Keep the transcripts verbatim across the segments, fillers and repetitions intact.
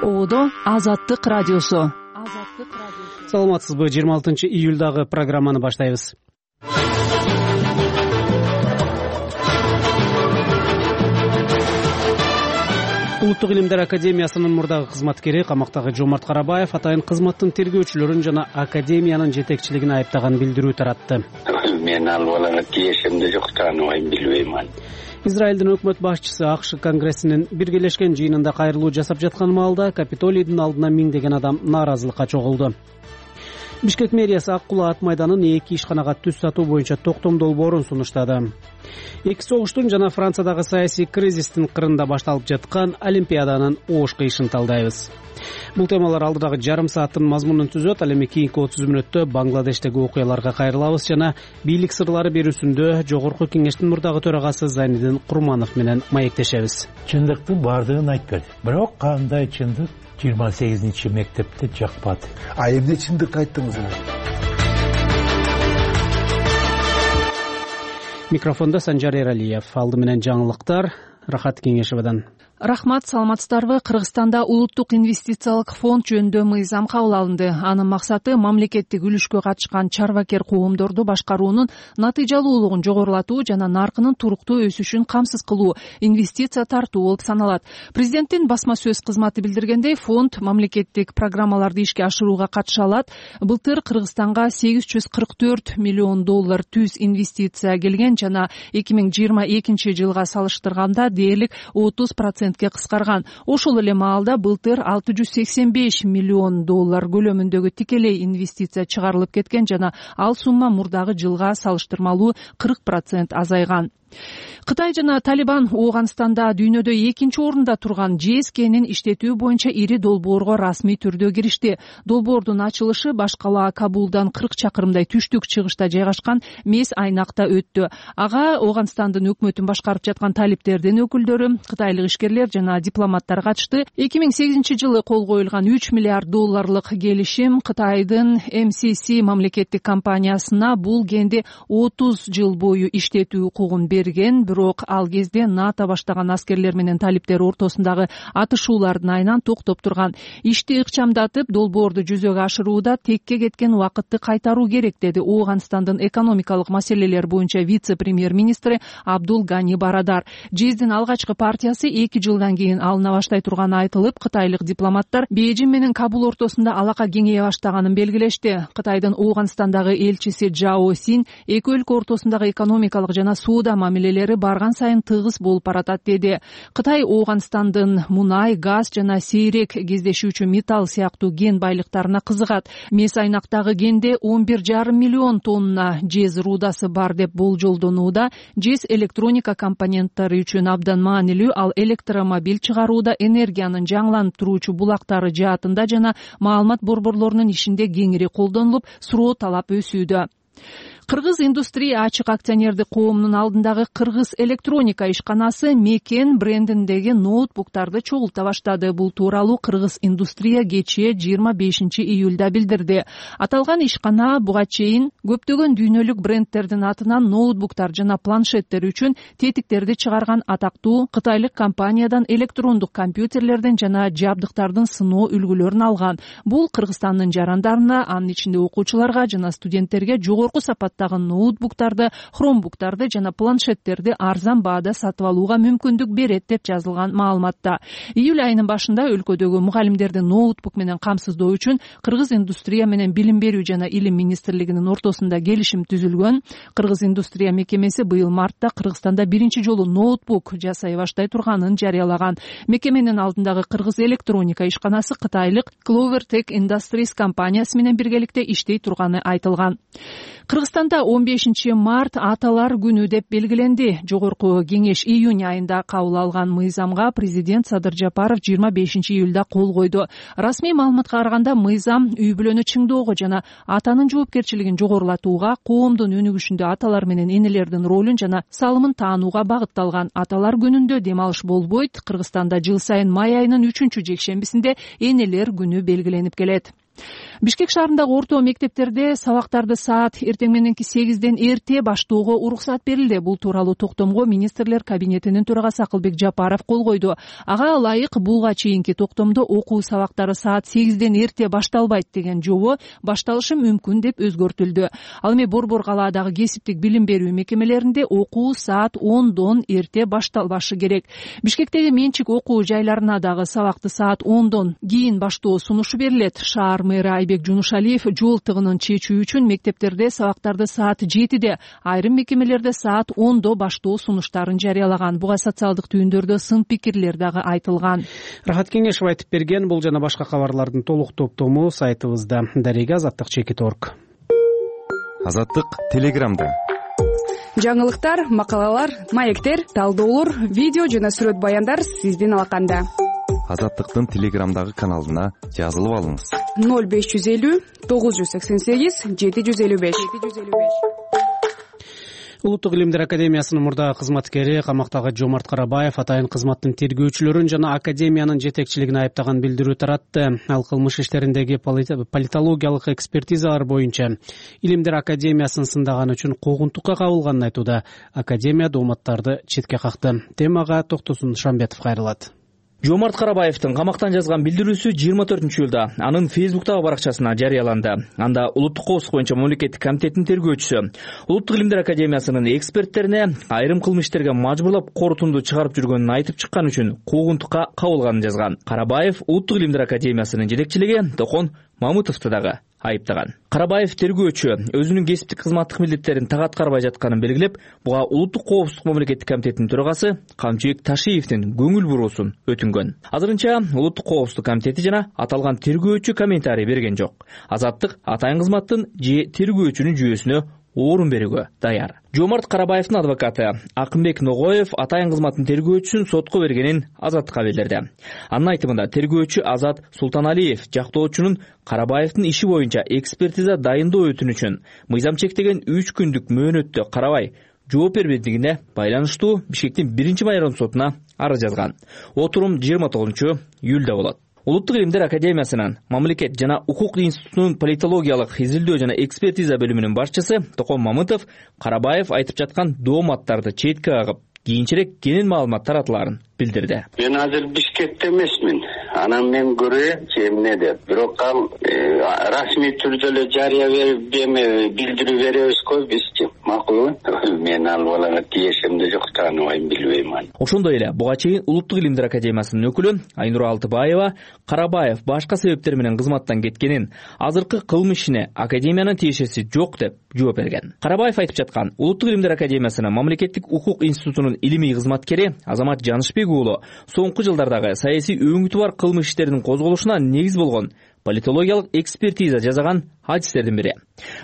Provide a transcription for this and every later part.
Ободо Азаттык радиосу. Саламатсызбы? жыйырма алтынчы июлдагы программаны баштайбыз. Улуттук илимдер академиясынын мурдагы кызматкери, камактагы Жомарт Карабаев атайын кызматтын тергөөчүлөрүн жана академиянын жетекчилигин айыптаган билдирүү таратты. Мен ал балага тиешимде жок, тааныбайм, билбейм. Израилдин өкмөт башчысы АКШ конгрессинин биргелешкен жыйынында кайрылуу жасап жаткан маалда Капитолийдин алдына миңдеген адам нааразылыкка чогулду. Бишкек мэриясы Ак Кулаа ат майданын эки ишканага түз сатуу боюнча токтом долбоорун сунуштады. Эки согуштун жана Франциядагы саясий кризистин кырында башталып жаткан Олимпиаданын оош кыйышын талдайбыз. Бул темалар алдыдагы жарым сааттын мазмунун түзөт. Ал эми кийинки отуз мүнөттө Бангладештеги окуяларга кайрылабыз жана бийлик сырлары берүүсүндө Жогорку Кеңештин мурдагы төрагасы Зайнидин Курманов менен маектешебиз. Чындыктын бардыгын айтып берди. Бирок кандай чындык жыйырма сегизинчи мектепте жакпады. А эмне чындык айттыңыз? Микрофондо Санжар Эралиев. Алды менен жаңылыктар Рахат Кеңешевадан. Рахмат, саламатсыздарбы? Кыргызстанда улуттук инвестициялык фонд жөнүндө мыйзам кабыл алынды. Анын максаты мамлекеттик үлүшкө катышкан чарбакер коомдорду башкаруунун натыйжалуулугун жогорулатуу жана наркынын туруктуу өсүшүн камсыз кылуу, инвестиция тартуу болуп саналат. Президенттин басма сөз кызматы билдиргендей, фонд мамлекеттик программаларды ишке ашырууга катыша алат. Былтыр Кыргызстанга сегиз жүз кырк төрт миллион доллар түз инвестиция келген жана эки миң жыйырма экинчи жылга салыштырганда дээрлик отуз процентке кыскарган. Ошол эле маалда былтыр алты жүз сексен беш миллион доллар көлөмүндөгү тикелей инвестиция чыгарылып кеткен жана ал сумма мурдагы жылга салыштырмалуу кырк процент азайган. Кытай жана Талибан Ооганстанда дүйнөдө экинчи орунда турган ЖЭС кенин иштетүү боюнча ири долбоорго расмий түрдө киришти. Долбоордун ачылышы баш кала Кабулдан кырк чакырымдай түштүк чыгышта жайгашкан Мес айнакта өттү. Ага Ооганстандын өкмөтүн башкарып жаткан талиптердин өкүлдөрү, кытайлык ишкерлер жана дипломаттар катышты. эки миң сегизинчи жылы кол коюлган үч миллиард долларлык келишим Кытайдын эм си си мамлекеттик компаниясына бул кенди отуз жыл бою иштетүү укугун берген. Бирок ал кезде НАТО баштаган аскерлер менен талиптер ортосундагы атышуулардын айынан токтоп турган. Ишти ыкчамдатып, долбоорду жүзөгө ашырууда текке кеткен убакытты кайтаруу керек, деди Ооганстандын экономикалык маселелер боюнча вице-премьер-министри Абдул Гани Барадар. ЖЭСдин алгачкы партиясы эки жылдан кийин алына баштай турганы айтылып, кытайлык дипломаттар Бейжин менен Кабул ортосунда алака кеңейе баштаганын белгилешти. Кытайдын Ооганстандагы элчиси Жао Син эки өлкө ортосундагы экономикалык жана соода мамилелери барган сайын тыгыз болуп баратат, деди. Кытай Ооганстандын мунай, газ жана сейрек кездешүүчү металл сыяктуу кен байлыктарына кызыгат. Мес айнактагы кенде он бир жарым миллион тонна ЖЭС рудасы бар деп болжолдонууда. ЖЭС электроника компоненттери үчүн абдан маанилүү, ал электромобиль чыгарууда, энергиянын жаңыланып туруучу булактары жаатында жана маалымат борборлорунун ишинде кеңири колдонулуп, суроо талап өсүүдө. Кыргыз индустрия ачык акционердик коомунун алдындагы Кыргыз электроника ишканасы Мекен брендиндеги ноутбуктарды чогулта баштады. Бул тууралуу Кыргыз индустрия кечээ жыйырма бешинчи июлда билдирди. Аталган ишкана буга чейин көптөгөн дүйнөлүк брендтердин атынан ноутбуктар жана планшеттер үчүн тетиктерди чыгарган атактуу кытайлык компаниядан электрондук компьютерлердин жана жабдыктардын сыноо үлгүлөрүн алган. Бул Кыргызстандын жарандарына, анын ичинде окуучуларга жана студенттерге жогорку сапат ноутбуктарды, хромбуктарды жана планшеттерди арзан баада сатып алууга мүмкүндүк берет деп жазылган маалыматта. Июль айынын башында өлкөдөгү мугалимдерди ноутбук менен камсыздоо үчүн Кыргыз индустрия менен билим берүү жана илим министрлигинин ортосунда келишим түзүлгөн. Кыргыз индустрия мекемеси быйыл мартта Кыргызстанда биринчи жолу ноутбук жасай баштай турганын жарыялаган. Мекеменин алдындагы Кыргыз электроника ишканасы кытайлык Clover Tech Industries компаниясы менен биргеликте иштей турганы айтылган. Кыргызстанда он бешинчи март Аталар күнү деп белгиленди. Жогорку кеңеш июнь айында кабыл алган мыйзамга президент Садыр Жапаров жыйырма бешинчи июлда кол койду. Расмий маалыматка караганда мыйзам үй бүлөнү чыңдоого жана атанын жоопкерчилигин жогорулатууга, коомдун өнүгүшүндө аталар менен энелердин ролун жана салымын таанууга багытталган. Аталар күнүндө дем алыш болбойт. Кыргызстанда жыл сайын май айынын үчүнчү жекшембисинде энелер күнү белгиленип келет. Бишкек шаарындагы орто мектептерде сабактарды саат эртең мененки сегизден эрте баштоого уруксат берилди. Бул тууралуу токтомго министрлер кабинетинин төрагасы Акылбек Жапаров кол койду. Ага ылайык буга чейинки токтомдо окуу сабактары саат сегизден эрте башталбайт деген жобо башталышы мүмкүн деп өзгөртүлдү. Ал эми Борбор калаадагы кесиптик билим берүү мекемелеринде окуу саат ондон эрте башталбашы керек. Бишкектеги менчик окуу жайларына дагы сабакты саат ондон кийин баштоо сунушу берилет. Шаар мэрі Айбек Жунушалиев жол тыгынын чечүү үчүн мектептерде сабактарды саат жетиде, айрым мекемелерде саат ондо баштоо сунуштарын жарыялаган. Буга социалдык түйүндөрдө сын пикирлер дагы айтылган. Рахат Кеңешев айтып берген. Бул жана башка кабарлардын толук топтому сайтыбызда. Дарега Азаттык чекит точка орг. Азаттык Телеграмда. Жаңылыктар, макалалар, маектер, талдоолор, видео жана сүрөт баяндар сиздин алаканда. Азаттыктын Телеграмдагы каналына жазылып алыңыз. ноль беш жүз элүү тогуз жүз сексен сегиз жети жүз элүү беш. Улуттук илимдер академиясынын мурдагы кызматкери камактагы Жомарт Карабаев атайын кызматтын тергөөчүлөрүн жана академиянын жетекчилигин айыптаган билдирүү таратты. Ал кылмыш иштериндеги политологиялык экспертизалар боюнча Илимдер академиясын сындаган үчүн куугунтукка кабылганын айтууда. Академия дооматтарды четке какты. Темага Токтосун Шамбетов кайрылат. Жомарт Карабаевдин камактан жазган билдирүүсү жыйырма төртүнчү июлда анын Фейсбуктагы баракчасына жарыяланды. Анда улуттук коопсуздук боюнча мамлекеттик комитеттин тергөөчүсү Улуттук илимдер академиясынын эксперттерине айрым кылмыш иштерге мажбурлап корутунду чыгарып жүргөнүн айтып чыккан үчүн куугунтукка кабылганын жазган. Карабаев Улуттук илимдер академиясынын жетекчилиги Токон Мамытовду дагы айыптаган. Карабаев тергөөчү өзүнүн кесиптик кызматтык милдеттерин так аткарбай жатканын белгилеп, буга улуттук коопсуздук мамлекеттик комитетинин төрагасы Камчыбек Ташиевдин көңүл буруусун өтүнгөн. Азырынча улуттук коопсуздук комитети жана аталган тергөөчү комментарий берген жок. Азаттык атайын кызматтын же тергөөчүнүн жүйөсүнө орун берүүгө даяр. Жомарт Карабаевдин адвокаты Акымбек Ногоев атайын кызматтын тергөөчүсүн сотко бергенин Азаттыкка билдирди. Анын айтымында тергөөчү Азат Султаналиев жактоочунун Карабаевдин иши боюнча экспертиза дайындоо өтүнүчүн мыйзам чектеген үч күндүк мөөнөттө карабай жооп бербедигине байланыштуу Бишкектин биринчи майордун сотуна арыз жазган. Отурум жыйырма тогузунчу июлда болот. Улуттук илимдер академиясынын мамлекет жана укук институтунун политологиялык изилдөө жана экспертиза бөлүмүнүн башчысы Токон Мамытов Карабаев айтып жаткан дооматтарды четке кагып, кийинчерээк кенен маалымат таратыларын билдирди. Мен азыр Бишкекте эмесмин. Анан мен көрө эмне деп. Бирок ал расмий түрдө эле жарыя берип, билдирүү беребизго бизчи. Макулбу? Мен ал балага тиешимде жок, тааныбайм, билбейм аны. Ошондой эле буга чейин Улуттук илимдер академиясынын өкүлү Айнура Алтыбаева Карабаев башка себептер менен кызматтан кеткенин, азыркы кылмыш ишине академиянын тиешеси жок деп жооп берген. Карабаев айтып жаткан Улуттук илимдер академиясынын мамлекеттик укук институтунун илимий кызматкери Азамат Жанышбек уулу соңку жылдардагы саясий өңүтү бар кылмыш иштеринин козголушуна негиз болгон политологиялык экспертиза жасаган адистердин бири.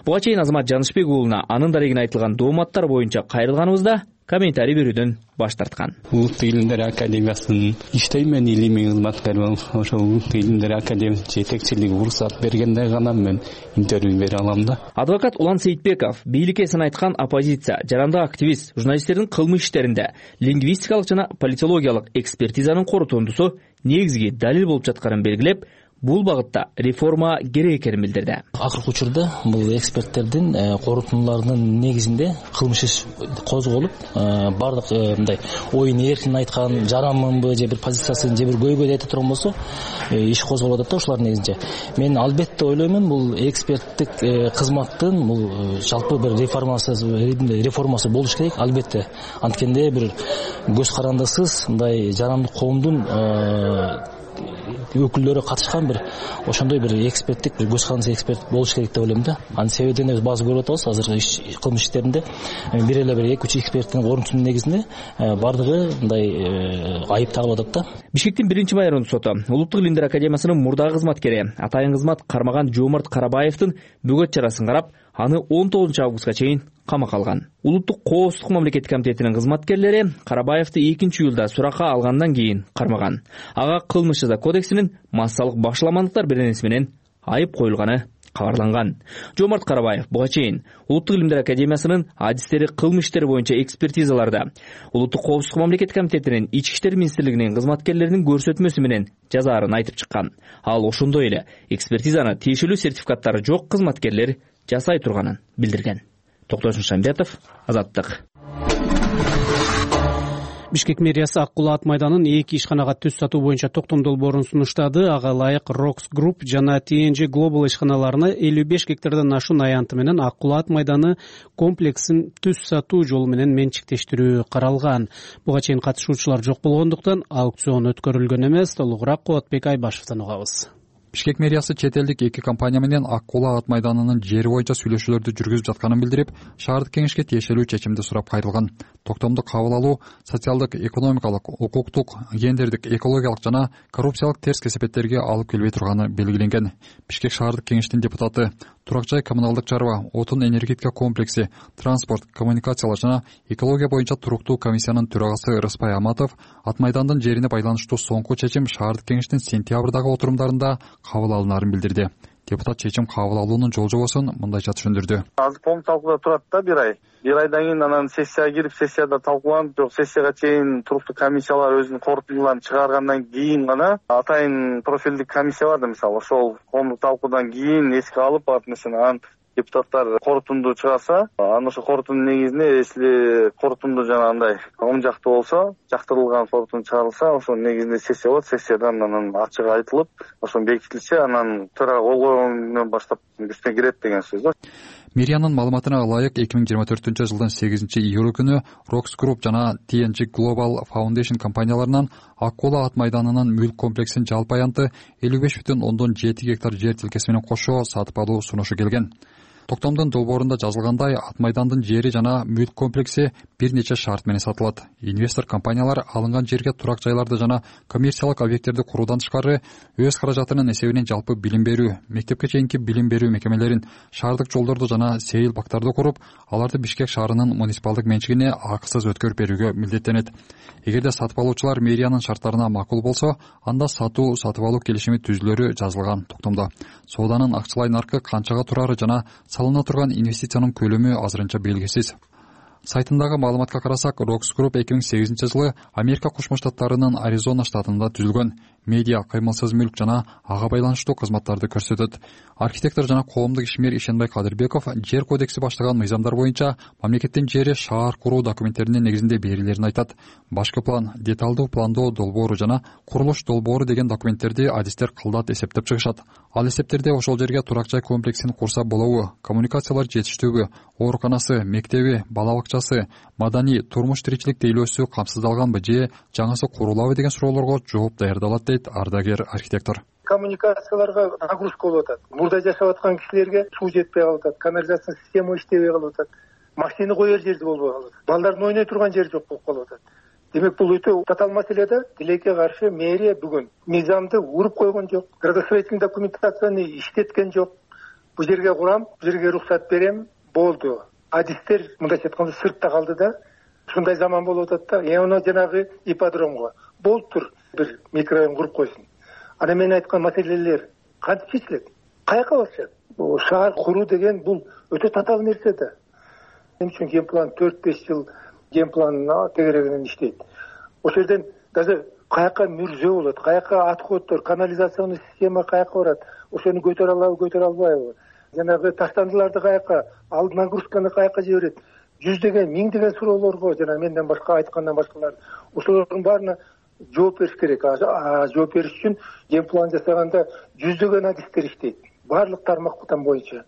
Буга чейин Азамат Жанышбек уулуна анын дарегине айтылган дооматтар боюнча кайрылганыбызда комментарий берүүдөн баш тарткан. Улуттук илимдер академиясынын иштеймен илимий кызматкермин. Ошол Улуттук илимдер академиясынын жетекчилиги уруксат бергенде гана мен интервью бере алам да. Адвокат Улан Сейитбеков бийликке сын айткан оппозиция, жарандык активист, журналисттердин кылмыш иштеринде лингвистикалык жана политологиялык экспертизанын корутундусу негизги далил болуп жатканын белгилеп, бул багытта реформа керек экенин билдирди. Акыркы учурда бул эксперттердин корутундуларынын негизинде кылмыш иш козголуп, бардык мындай оюн эркин айткан жаранмынбы же бир позициясын же бир көйгөй айта турган болсо, иш козголуп атат да ушулардын негизинде. Мен албетте ойлоймун, бул эксперттик кызматтын бул жалпы бир реформасы реформасы болуш керек, албетте. Анткенде бир көз карандысыз мындай жарандык коомдун өкүлдөрү катышкан бир ошондой бир эксперттик бир көз карандысы эксперт болуш керек деп ойлойм да. Анын себебин биз баазы көрүп атабыз. Азыр иш кылмыш иштеринде бир эле бир эки үч эксперттин орунтунун негизинде бардыгы мындай айып тагылып атат да. Бишкектин биринчи майордун соту Улуттук илимдер академиясынын мурдагы кызматкери атайын кызмат кармаган Жомарт Карабаевдин бөгөт чарасын карап, аны он тогузунчу августка чейин камакка алган. Улуттук коопсуздук мамлекеттик комитетинин кызматкерлери Карабаевди экинчи июлда суракка алгандан кийин кармаган. Ага кылмыш жаза кодексинин массалык башаламандыктар беренеси менен айып коюлганы кабарланган. Жомарт Карабаев буга чейин Улуттук илимдер академиясынын адистери кылмыш иштери боюнча экспертизаларда Улуттук коопсуздук мамлекеттик комитетинин ички иштер министрлигинин кызматкерлеринин көрсөтмөсү менен жазаарын айтып чыккан. Ал ошондой эле экспертизаны тиешелүү сертификаттары жок кызматкерлер жасай турганын билдирген. Токтошун Шамбетов, Азаттык. Бишкек мэриясы Ак Кулаа ат майданын эки ишканага түз сатуу боюнча токтом долбоорун сунуштады. Ага ылайык Рокс Групп жана Ти Эн Джи Global ишканаларына элүү беш гектардан ашуун аянты менен Ак Кулаа ат майданы комплексин түз сатуу жолу менен менчиктештирүү каралган. Буга чейин катышуучулар жок болгондуктан аукцион өткөрүлгөн эмес. Толугураак Кубатбек Айбашевден угабыз. Бишкек мэриясы чет элдик эки компания менен Ак Кулаа ат майданынын жери боюнча сүйлөшүүлөрдү жүргүзүп жатканын билдирип, шаардык кеңешке тиешелүү чечимди сурап кайрылган. Токтомду кабыл алуу социалдык, экономикалык, укуктук, гендердик, экологиялык жана коррупциялык терс кесепеттерге алып келбей турганы белгиленген. Бишкек шаардык кеңештин депутаты, турак жай коммуналдык чарба, отун энергетика комплекси, транспорт, коммуникациялар жана экология боюнча туруктуу комиссиянын төрагасы Рыспай Аматов ат майдандын жерине байланыштуу соңку чечим шаардык кеңештин сентябрдагы отурумдарында кабыл алынаарын билдирди. Депутат чечим кабыл алуунун жол жобосун мындайча түшүндүрдү. Азыр полный талкууда турат да бир ай. Бир айдан кийин анан сессияга кирип, сессияда талкууланып, жок сессияга чейин туруктуу комиссиялар өзүнүн корутундуларын чыгаргандан кийин гана атайын профилдик комиссия бар да, мисалы, ошол коомдук талкуудан кийин эске алып, баап нерсени анан депутаттар корутунду чыгарса, анан ошо корутундун негизинде, если корутунду жанагындай оң жактуу болсо, жактырылган корутунду чыгарылса, ошонун негизинде сессия болот. Сессиядан анан ачык айтылып, ошон бекитилсе, анан төрага кол койгондон баштап күчүнө кирет деген сөз да. Мэриянын маалыматына ылайык эки миң жыйырма төртүнчү жылдын сегизинчи июль күнү Rocks Group жана Ти Эн Джи Global Foundation компанияларынан Ак Кулаа ат майданынын мүлк комплексин жалпы аянты элүү беш бүтүн ондон жети гектар жер тилкеси менен кошо сатып алуу сунушу келген. Токтомдун долбоорунда жазылгандай, ат майдандын жери жана мүлк комплекси бир нече шарт менен сатылат. Инвестор компаниялар алынган жерге турак жайларды жана коммерциялык объекттерди куруудан тышкары өз каражатынын эсебинен жалпы билим берүү, мектепке чейинки билим берүү мекемелерин, шаардык жолдорду жана сейил бактарды куруп, аларды Бишкек шаарынын муниципалдык менчигине акысыз өткөрүп берүүгө милдеттенет. Эгерде сатып алуучулар мэриянын шарттарына макул болсо, анда сатуу сатып алуу келишими түзүлөрү жазылган токтомдо. Сооданын акчалай наркы канчага турары жана салына турган инвестициянын көлөмү азырынча белгисиз. Сайтындагы маалыматка карасак, Rocks Group эки миң сегизинчи жылы Америка Кошмо Штаттарынын Аризона штатында түзүлгөн. Медиа, кыймылсыз мүлк жана ага байланыштуу кызматтарды көрсөтөт. Архитектор жана коомдук ишмер Ишенбай Кадырбеков жер кодекси баштаган мыйзамдар боюнча мамлекеттин жери шаар куруу документтеринин негизинде берилерин айтат. Башкы план, деталдуу пландоо долбоору жана курулуш долбоору деген документтерди адистер кылдат эсептеп чыгышат. Ал эсептерде ошол жерге турак жай комплексин курса болобу, коммуникациялар жетиштүүбү, ооруканасы, мектеби, бала бакчасы, маданий, турмуш тиричилик тейлөөсү камсыздалганбы же жаңысы курулабы деген суроолорго жооп даярдалат дейт ардагер архитектор. Коммуникацияларга нагрузка болуп атат. Мурда жашап аткан кишилерге суу жетпей калып атат, канализация система иштебей калып атат, машина коер жерди болбой калып атат, балдардын ойной турган жери жок болуп калып атат. Демек бул өтө татаал маселе да. Тилекке каршы мэрия бүгүн мыйзамды уруп койгон жок, градостроительный документацияны иштеткен жок. Бул жерге курам, бул жерге уруксат берем, болду. Адистер мындайча айтканда сыртта калды да. Ушундай заман болуп атат да. Эми жанагы ипподромго болуптур, бир микрорайон куруп койсун. Ана мен айткан маселелер кантип чечилет? Каяка барышат? Шаар куруу деген бул өтө татаал нерсе да. Мен үчүн генплан төрт беш жыл генпланына тегерегинен иштейт. Ошол жерден даже каяка мүрзө болот, каяка отходдор, канализационный система каяка барат, ошону көтөрө алабы, көтөрө албайбы? Жанагы таштандыларды каяка, ал нагрузканы каяка жиберет? Жүздөгөн, миңдеген суроолорго жана менден башка айткандан башкалар ошолордун баарына жооп бериш керек. А жооп бериш үчүн генплан жасаганда жүздөгөн адистер иштейт, баардык тармактан боюнча.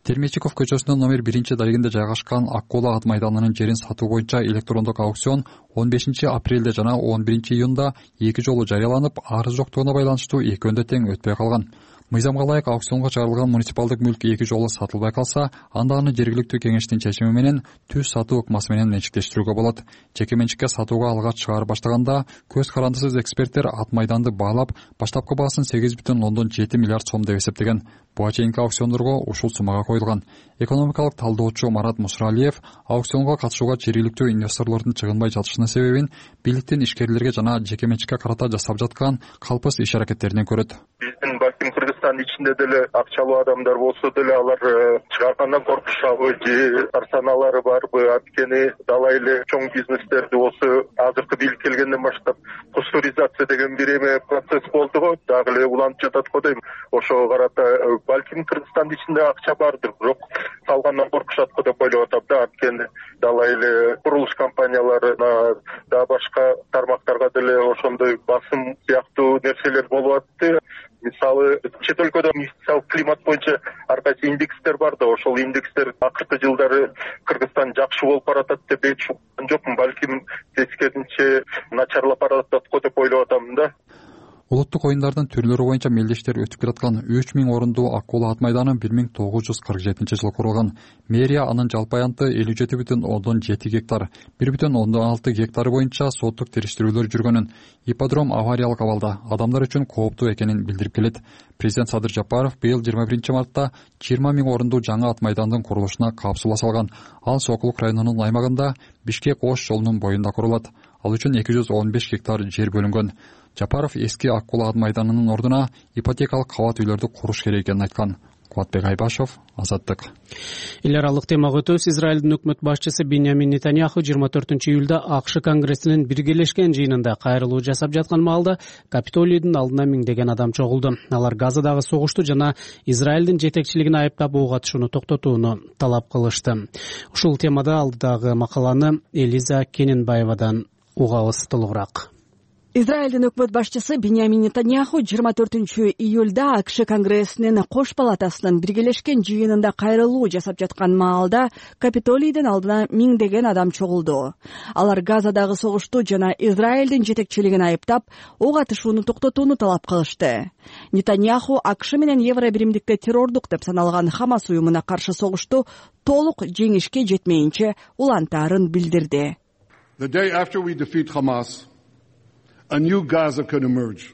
Термечиков көчөсүнүн номер биринчи дарегинде жайгашкан Ак Кулаа ат майданынын жерин сатуу боюнча электрондук аукцион он бешинчи апрелде жана он биринчи июнда эки жолу жарыяланып, арыз жоктугуна байланыштуу экөөнү да тең өтпөй калган. Мыйзамга ылайык аукционго чыгарылган муниципалдык мүлк эки жолу сатылбай калса, анда аны жергиликтүү кеңештин чечими менен түз сатуу ыкмасы менен менчиктештирүүгө болот. Жеке менчикке сатууга алгач чыгарып баштаганда көз карандысыз эксперттер ат майданды баалап, баштапкы баасын сегиз бүтүн ондон жети миллиард сом деп эсептеген. Буга чейинки аукциондорго ушул суммага коюлган. Экономикалык талдоочу Марат Мусралиев аукционго катышууга жергиликтүү инвесторлордун чыгынбай жатышынын себебин бийликтин ишкерлерге жана жеке менчикке карата жасап жаткан калпыс иш аракеттеринен көрөт. Биздин балким Кыргызстандын ичинде деле акчалуу адамдар болсо деле алар чыгаргандан коркушабы же тарсаналары барбы? Анткени далай эле чоң бизнестерди болсо азыркы бийлик келгенден баштап пастуризация деген бир эме процесс болду го, дагы эле уланып жатат го дейм. Ошого карата балким Кыргызстандын ичинде акча бардыр, бирок салгандан коркушат го деп ойлоп атам да. Анткени далай эле курулуш компанияларына да башка тармактарга деле ошондой басым сыяктуу нерселер болуп атты. Мисалы чет өлкөдө инвестициялык климат боюнча ар кайсы индекстер бар да, ошол индекстер акыркы жылдары Кыргызстан жакшы болуп баратат деп эч уккан жокмун. Балким тескерисинче начарлап баратат го деп ойлоп атам да. Улуттук оюндардын түрлөрү боюнча мелдештер өтүп келаткан үч миң орундуу Аккула ат майданы бир миң тогуз жүз кырк жетинчи жылы курулган. Мэрия анын жалпы аянты элүү жети бүтүн ондон жети гектар, бир бүтүн ондон алты гектары боюнча соттук териштирүүлөр жүргөнүн, ипподром авариялык абалда, адамдар үчүн кооптуу экенин билдирип келет. Президент Садыр Жапаров быйыл жыйырма биринчи мартта жыйырма миң орундуу жаңы ат майдандын курулушуна капсула салган. Ал Сокулук районунун аймагында Бишкек Ош жолунун боюнда курулат. Ал үчүн эки жүз он беш гектар жер бөлүнгөн. Жапаров эски Аккула ат майданынын ордуна ипотекалык кабат үйлөрдү куруш керек экенин айткан. Кубатбек Айбашев, Азаттык. Эл аралык темага өтөбүз. Израилдин өкмөт башчысы Биньямин Нетаньяху жыйырма төртүнчү июлда АКШ Конгрессинин биргелешкен жыйынында кайрылуу жасап жаткан маалда Капитолийдин алдына миңдеген адам чогулду. Алар Газадагы согушту жана Израилдин жетекчилигин айыптап ок атышууну токтотууну талап кылышты. Ушул темада алдыдагы макаланы Элиза Кененбаевадан угабыз толугураак. Израилдин өкмөт башчысы Биньямин Нетаньяху жыйырма төртүнчү июлда АКШ Конгрессинин кош палатасынын биргелешкен жыйынында кайрылуу жасап жаткан маалда Капитолийдин алдына миңдеген адам чогулду. Алар Газадагы согушту жана Израилдин жетекчилигин айыптап, ок атышууну токтотууну талап кылышты. Нетаньяху АКШ менен Евро биримдикте террордук деп саналган Хамас уюмуна каршы согушту толук жеңишке жетмейинче улантаарын билдирди. The day after we defeat Hamas, a new Gaza could emerge.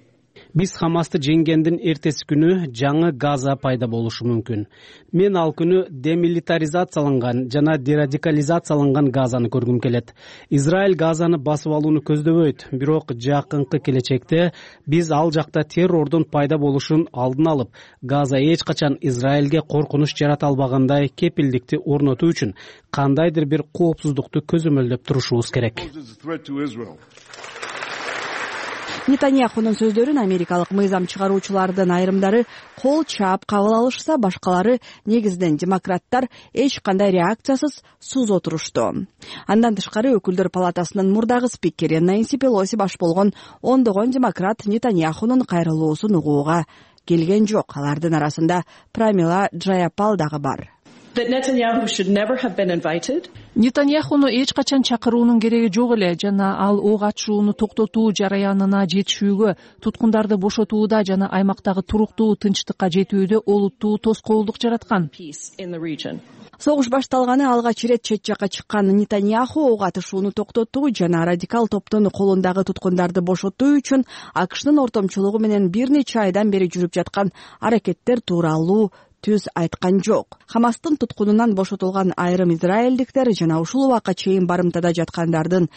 Биз Хамасты жеңгендин эртеси күнү жаңы Газа пайда болушу мүмкүн. Мен ал күнү демилитаризацияланган жана дерадикализацияланган Газаны көргүм келет. Израиль Газаны басып алууну көздөбөйт, бирок жакынкы келечекте биз ал жакта террордун пайда болушун алдын алып, Газа эч качан Израилге коркунуч жарата албагандай кепилдикти орнотуу үчүн кандайдыр бир коопсуздукту көзөмөлдөп турушубуз керек. Нетаньяхунун сөздөрүн америкалык мыйзам чыгаруучулардын айрымдары кол чаап кабыл алышса, башкалары негизинен демократтар эч кандай реакциясыз суз отурушту. Андан тышкары өкүлдөр палатасынын мурдагы спикери Нэнси Пелоси баш болгон ондогон демократ Нетаньяхунун кайрылуусун угууга келген жок. Алардын арасында Прамила Джаяпал дагы бар. Нетаньяхуну эч качан чакыруунун кереги жок эле жана ал ок атышууну токтотуу жараянына жетишүүгө, туткундарды бошотууда жана аймактагы туруктуу тынчтыкка жетүүдө олуттуу тоскоолдук жараткан. Согуш башталганы алгач ирет чет жакка чыккан Нетаньяху ок атышууну токтотуу жана радикал топтун колундагы туткундарды бошотуу үчүн АКШнын ортомчулугу менен бир нече айдан бери жүрүп жаткан аракеттер тууралуу түз айткан жок. Хамастын туткунунан бошотулган айрым израилдиктер жана ушул убакка чейин барымтада жаткандардын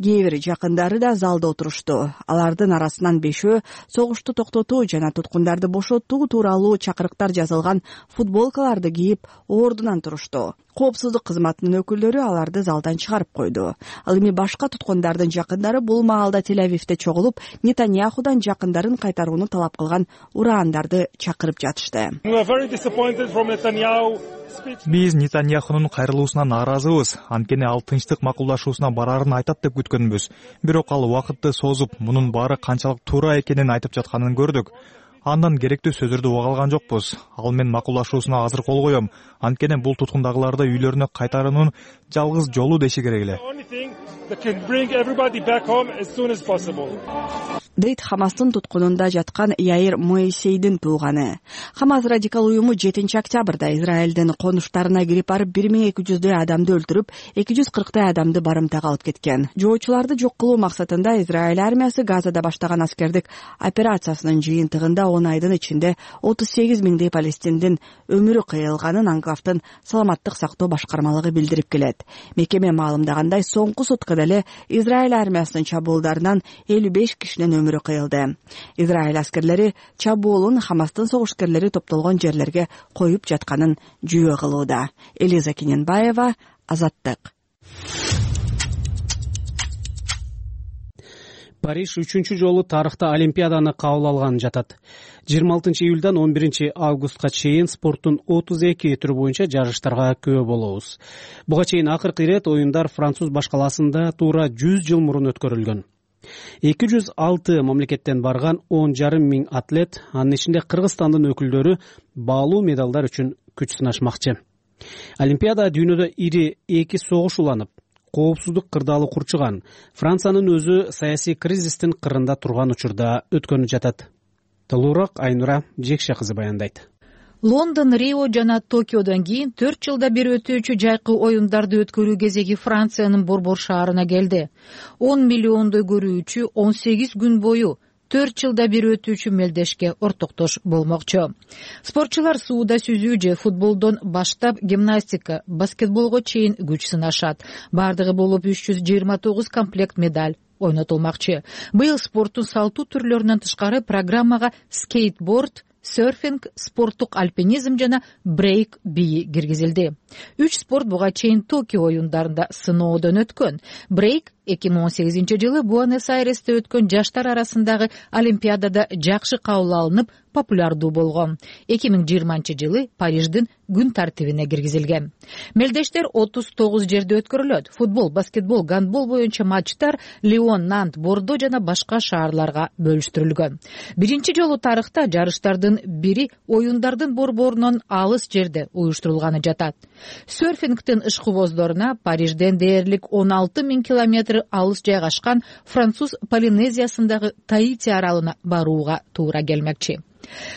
кээ бир жакындары да залда отурушту. Алардын арасынан бешөө согушту токтотуу жана туткундарды бошотуу тууралуу чакырыктар жазылган футболкаларды кийип ордунан турушту. Коопсуздук кызматынын өкүлдөрү аларды залдан чыгарып койду. Ал эми башка туткундардын жакындары бул маалда Тель-Авивде чогулуп, Нетаньяхудан жакындарын кайтарууну талап кылган урандарды чакырып жатышты. Биз Нетаньяхунун кайрылуусуна нааразыбыз. Анткени ал тынчтык макулдашуусуна бараарын айтат деп күткөнбүз. Бирок ал убакытты созуп, мунун баары канчалык туура экенин айтып жатканын көрдүк. Андан керектүү сөздөрдү уга алган жокпуз. Ал мен макулдашуусуна азыр кол коем. Анткени бул туткундагыларды үйлөрүнө кайтаруунун жалгыз жолу деши керек эле. Дейт Хамастын туткунунда жаткан Яир Моисейдин тууганы. Хамас радикал уюму жетинчи октябрда Израилдин конуштарына кирип барып бир миң эки жүздөй адамды өлтүрүп, эки жүз кырктай адамды барымтага алып кеткен. Жоочуларды жок кылуу максатында Израиль армиясы Газада баштаган аскердик операциясынын жыйынтыгында он айдын ичинде отуз сегиз миңдей палестиндин өмүрү кыйылганын анклавдын саламаттык сактоо башкармалыгы билдирип келет. Мекеме маалымдагандай, соңку суткада эле Израиль армиясынын чабуулдарынан элүү беш кишинин өмүрү кыйылды. Израиль аскерлери чабуулун Хамастын согушкерлери топтолгон жерлерге коюп жатканын жүйө кылууда. Элиза Кененбаева, Азаттык. Париж үчүнчү жолу тарыхта Олимпиаданы кабыл алганы жатат. жыйырма алтынчы июлдан он биринчи августка чейин спорттун отуз эки түрү боюнча жарыштарга күбө болобуз. Буга чейин акыркы ирет оюндар Француз башкаласында туура жүз жыл мурун өткөрүлгөн. эки жүз алты мамлекеттен барган он жарым миң атлет, анын ичинде Кыргызстандын өкүлдөрү баалуу медалдар үчүн күч сынашмакчы. Олимпиада дүйнөдө ири эки согуш уланып, коопсуздук кырдаалы курчуган, Франциянын өзү саясий кризистин кырында турган учурда өткөнү жатат. Толугураак Айнура Жекше кызы баяндайт. Лондон, Рио жана Токиодон кийин төрт жылда бир өтүүчү жайкы оюндарды өткөрүү кезеги Франциянын борбор шаарына келди. он миллиондой көрүүчү он сегиз күн бою төрт жылда бир өтүүчү мелдешке ортоктош болмокчу. Спортчулар сууда сүзүү же футболдон баштап гимнастика, баскетболго чейин күч сынашат. Бардыгы болуп үч жүз жыйырма тогуз комплект медаль ойнотулмакчы. Быйыл спорттун салтуу түрлөрүнөн тышкары программага скейтборд, серфинг, спорттук альпинизм жана брейк бии киргизилди. Үч спорт буга чейин Токио оюндарында сыноодон өткөн. Брейк эки миң он сегизинчи жылы Буэнос-Айресте өткөн жаштар арасындагы Олимпиадада жакшы кабыл алынып, популярдуу болгон. эки миң жыйырманчы жылы Париждин күн тартибине киргизилген. Мелдештер отуз тогуз жерде өткөрүлөт. Футбол, баскетбол, гандбол боюнча матчтар Лион, Нант, Бордо жана башка шаарларга бөлүштүрүлгөн. Биринчи жолу тарыхта жарыштардын бири оюндардын борборунан алыс жерде уюштурулганы жатат. Серфингтин ишкыбоздоруна Парижден дээрлик он алты миң километр алыс жайгашкан Француз Полинезиясындагы Таити аралына барууга туура келмекчи.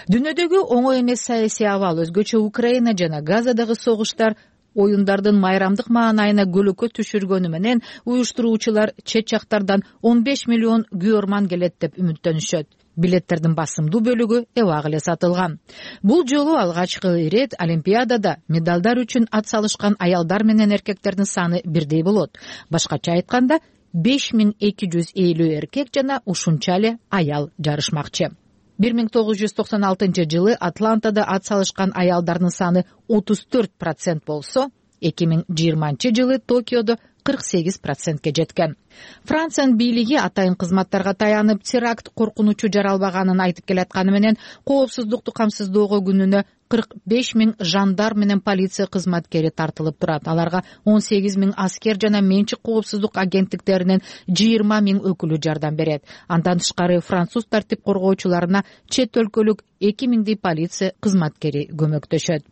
Дүйнөдөгү оңой эмес саясий абал, өзгөчө Украина жана Газадагы согуштар оюндардын майрамдык маанайына көлөкө түшүргөнү менен уюштуруучулар чет жактардан он беш миллион күйөрман келет деп үмүттөнүшөт. Билеттердин басымдуу бөлүгү эбак эле сатылган. Бул жолу алгачкы ирет Олимпиадада медалдар үчүн ат салышкан аялдар менен эркектердин саны бирдей болот. Башкача айтканда беш миң эки жүз элүү эркек жана ушунча эле аял жарышмакчы. бир миң тогуз жүз токсон алтынчы жылы Атлантада ат салышкан аялдардын саны отуз төрт процент болсо, эки миң жыйырманчы жылы Токиодо кырк сегиз процентке жеткен. Франциянын бийлиги атайын кызматтарга таянып, теракт коркунучу жаралбаганын айтып келатканы менен коопсуздукту камсыздоого күнүнө кырк беш миң жандар менен полиция кызматкери тартылып турат. Аларга он сегиз миң аскер жана менчик коопсуздук агенттиктеринин жыйырма миң өкүлү жардам берет. Андан тышкары француз тартип коргоочуларына чет өлкөлүк эки миңдей полиция кызматкери көмөктөшөт.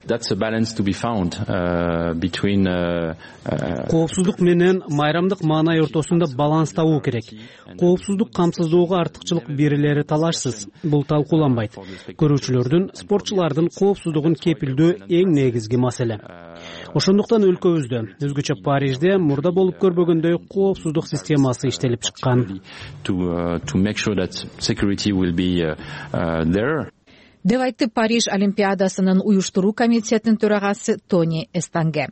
That's a balance to be found uh, between uh, uh, коопсуздук менен майрамдык маанай ортосунда баланс табуу керек. Коопсуздук камсыздоого артыкчылык берилери талашсыз. Бул талкууланбайт. Көрүүчүлөрдүн, спортчулардын коопсуздугун кепилдөө эң негизги маселе. Ошондуктан өлкөбүздө, өзгөчө Парижде мурда болуп көрбөгөндөй коопсуздук системасы иштелип чыккан. To to make sure that security will be uh, uh, there. Деп айтты Париж Олимпиадасынын уюштуруу комитетинин төрагасы Тони Эстанге.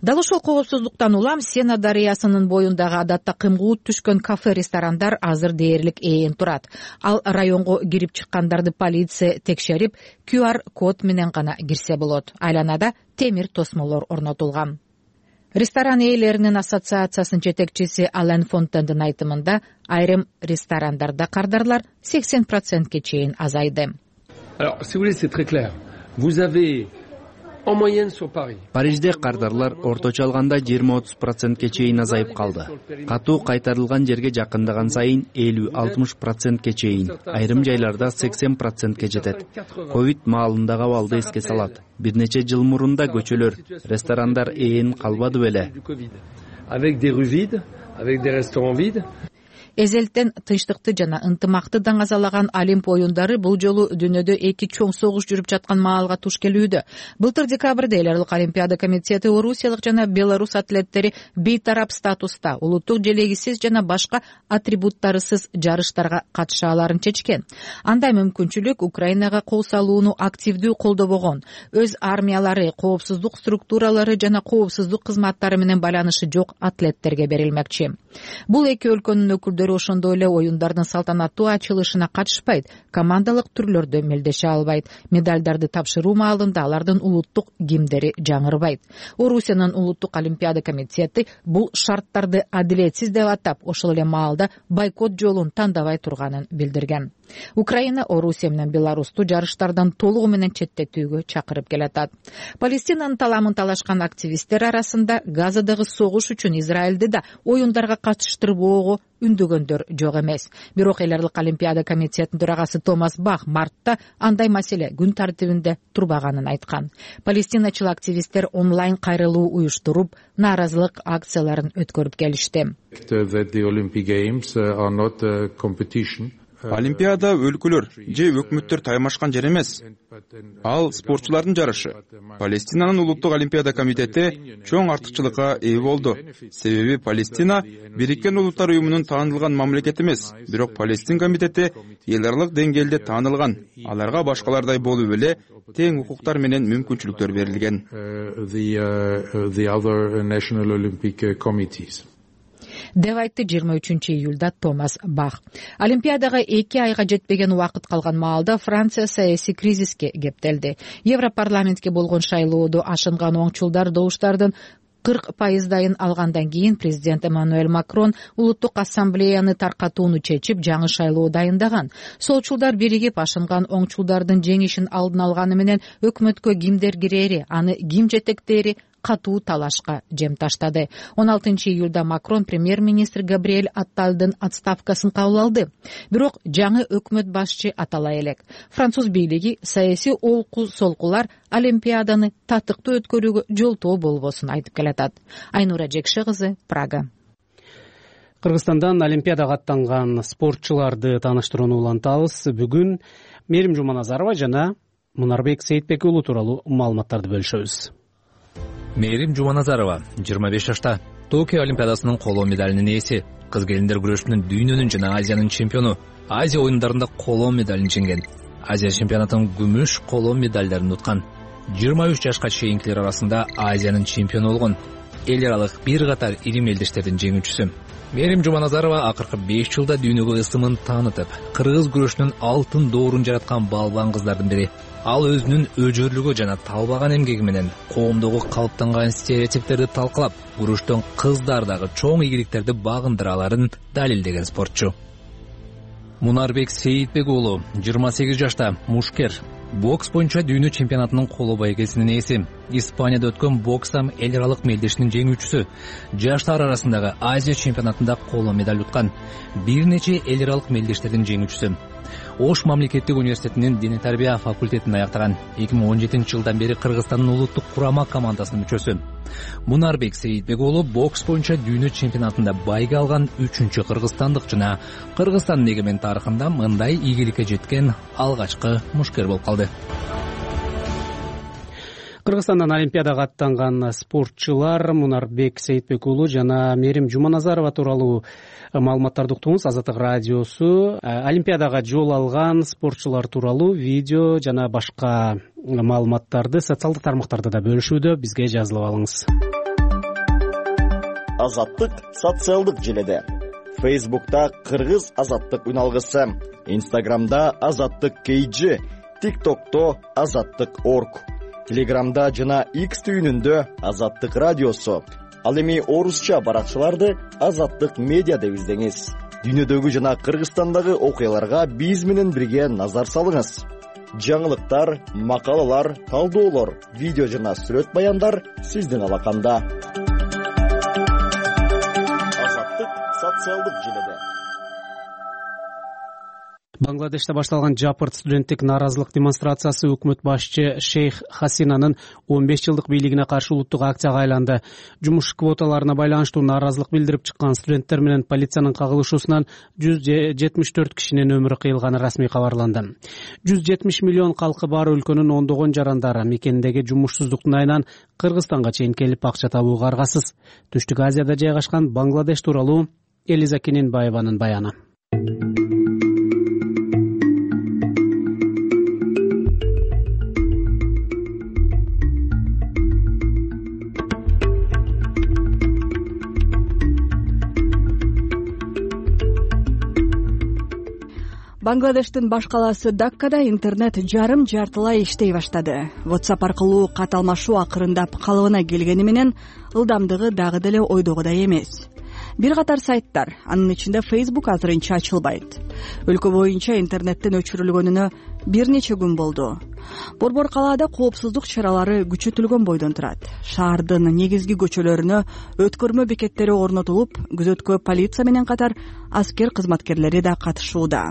Дал ошол коопсуздуктан улам Сена дарыясынын боюндагы адатта кымгуут түшкөн кафе-ресторандар азыр дээрлик ээн турат. Ал районго кирип чыккандарды полиция текшерип, ку ар код менен гана кирсе болот. Айланада темир тосмолор орнотулган. Ресторан ээлеринин ассоциациясынын жетекчиси Ален Фонтендин айтымында, айрым ресторандарда кардарлар сексен процентке чейин азайды. Alors, si vous voulez, c'est très clair. Vous avez en moyenne sur Paris. Парижде кардарлар орточо алганда жыйырма отуз процентке чейин азайып калды. Катуу кайтарылган жерге жакындаган сайын элүү алтымыш процентке чейин, айрым жайларда сексен процентке жетет. Ковид маалындагы абалды эске салат. Бир нече жыл мурун да көчөлөр, ресторандар ээн калбады беле. Avec des rues vides, avec des restaurants vides. Эзелтен тынчтыкты жана ынтымакты даңазалаган Олимп оюндары бул жолу дүйнөдө эки чоң согуш жүрүп жаткан маалга туш келүүдө. Былтыр декабрда эл аралык Олимпиада комитети орусиялык жана белорус атлеттери бейтарап статуста улуттук желегисиз жана башка атрибуттарысыз жарыштарга катыша аларын чечкен. Андай мүмкүнчүлүк Украинага кол салууну активдүү колдобогон, өз армиялары, коопсуздук структуралары жана коопсуздук кызматтары менен байланышы жок атлеттерге берилмекчи. Бул эки өлкөнүн өкүлдөрү ошондой эле оюндардын салтанаттуу ачылышына катышпайт, командалык түрлөрдө мелдеше албайт, медалдарды тапшыруу маалында алардын улуттук гимндери жаңырбайт. Орусиянын улуттук олимпиада комитети бул шарттарды адилетсиз деп атап, ошол эле маалда бойкот жолун тандабай турганын билдирген. Украина Орусия менен Беларусту жарыштардан толугу менен четтетүүгө чакырып келатат. Палестинанын таламын талашкан активисттер арасында Газадагы согуш үчүн Израилди да оюндарга катыштырбоого үндөгөндөр жок эмес. Бирок эл аралык олимпиада комитетинин төрагасы Томас Бах мартта андай маселе күн тартибинде турбаганын айткан. Палестиначыл активисттер онлайн кайрылуу уюштуруп, нааразылык акцияларын өткөрүп келишти. Олимпиада өлкөлөр же өкмөттөр таймашкан жер эмес. Ал спортчулардын жарышы. Палестинанын улуттук олимпиада комитети чоң артыкчылыкка ээ болду. Себеби Палестина Бириккен Улуттар уюмунун таанылган мамлекети эмес, бирок Палестин комитети эл аралык деңгээлде таанылган. Аларга башкалардай болуп эле тең укуктар менен мүмкүнчүлүктөр берилген. деп айтты жыйырма үчүнчү июлда Томас Бах. Олимпиадага эки айга жетпеген убакыт калган маалда Франция саясий кризиске кептелди. Европарламентке болгон шайлоодо ашынган оңчулдар добуштардын кырк пайыздайын алгандан кийин президент Эммануэль Макрон улуттук ассамблеяны таркатууну чечип, жаңы шайлоо дайындаган. Солчулдар биригип ашынган оңчулдардын жеңишин алдын алганы менен өкмөткө кимдер кирери, аны ким жетектери катуу талашка жем таштады. он алтынчы июлда Макрон премьер-министр Габриэль Атталдын отставкасын кабыл алды. Бирок жаңы өкмөт башчы атала элек. Француз бийлиги саясий олку-солкулар Олимпиаданы татыктуу өткөрүүгө жолтоо болбосун айтып келатат. Айнура Жекше кызы, Прага. Кыргызстандан Олимпиадага аттанган спортчуларды тааныштырууну улантабыз. Бүгүн Мерим Жуманазарова жана Мунарбек Сейитбек уулу тууралуу маалыматтарды бөлүшөбүз. Мерим Жуманазарова жыйырма беш жашта, Токио Олимпиадасынын коло медалинин ээси, кыз келиндер күрөшүнүн дүйнөнүн жана Азиянын чемпиону. Азия оюндарында коло медалин жеңген. Азия чемпионатынын күмүш коло медалдарын уткан. жыйырма үч жашка чейинкилер арасында Азиянын чемпиону болгон. Эл аралык бир катар ири мелдештердин жеңүүчүсү. Мерим Жуманазарова акыркы беш жылда дүйнөгө ысымын таанытып, кыргыз күрөшүнүн алтын доорун жараткан балбан кыздардын бири. Ал өзүнүн өжөрлүгү жана талбаган эмгеги менен коомдогу калыптанган стереотиптерди талкалап, күрөштөн кыздардагы чоң ийгиликтерди багындыра аларын далилдеген спортчу. Мунарбек Сейитбек уулу жыйырма сегиз жашта, мушкер. Бокс боюнча дүйнө чемпионатынын коло байгесинин ээси. Испанияда өткөн бокстан эл аралык мелдешинин жеңүүчүсү. Жаштар арасындагы Азия чемпионатында коло медаль уткан. Бир нече эл аралык мелдештердин жеңүүчүсү. Ош мамлекеттик университетинин диний тарбия факультетин аяктаган. эки миң он жетинчи жылдан бери Кыргызстандын улуттук курама командасынын мүчөсү. Мунарбек Сейитбек уулу бокс боюнча дүйнө чемпионатында байге алган үчүнчү кыргызстандык жана Кыргызстандын эгемен тарыхында мындай ийгиликке жеткен алгачкы мушкер болуп калды. Кыргызстандан Олимпиадага аттанган спортчулар Мунарбек Сейитбек уулу жана Мерим Жуманазарова тууралуу маалыматтарды уктуңуз. Азаттык радиосу Олимпиадага жол алган спортчулар тууралуу видео жана башка маалыматтарды социалдык тармактарда да бөлүшүүдө. Бизге жазылып алыңыз. Азаттык социалдык желеде. Facebook'ta Кыргыз азаттык үналгысы, Instagram'da Азаттык кей джи, TikTok'то Азаттык точка орг, Telegram'da жана X түйүнүндө Азаттык радиосу. Ал эми орусча баракчаларды Азаттык медиа деп издеңиз. Дүйнөдөгү жана Кыргызстандагы окуяларга биз менен бирге назар салыңыз. Жаңылыктар, макалалар, талдоолор, видео жана сүрөт баяндар сиздин алаканда. Азаттык социалдык желеде. Бангладеште башталган жапырт студенттик нааразылык демонстрациясы өкмөт башчы Шейх Хасинанын он беш жылдык бийлигине каршы улуттук акцияга айланды. Жумуш квоталарына байланыштуу нааразылык билдирип чыккан студенттер менен полициянын кагылышуусунан жүз жетимиш төрт кишинин өмүрү кыйылганы расмий кабарланды. жүз жетимиш миллион калкы бар өлкөнүн ондогон жарандары мекендеги жумушсуздуктун айынан Кыргызстанга чейин келип акча табууга аргасыз. Түштүк Азияда жайгашкан Бангладеш тууралуу Элиза Кененбаеванын баяны. Бангладештин баш калаасы Даккада интернет жарым жартылай иштей баштады. WhatsApp аркылуу кат алмашуу акырындап калыбына келгени менен ылдамдыгы дагы деле ойдогудай эмес. Бир катар сайттар, анын ичинде Facebook азырынча ачылбайт. Өлкө боюнча интернеттин өчүрүлгөнүнө бир нече күн болду. Борбор калаада коопсуздук чаралары күчөтүлгөн бойдон турат. Шаардын негизги көчөлөрүнө өткөрмө бекеттери орнотулуп, күзөткө полиция менен катар аскер кызматкерлери да катышууда.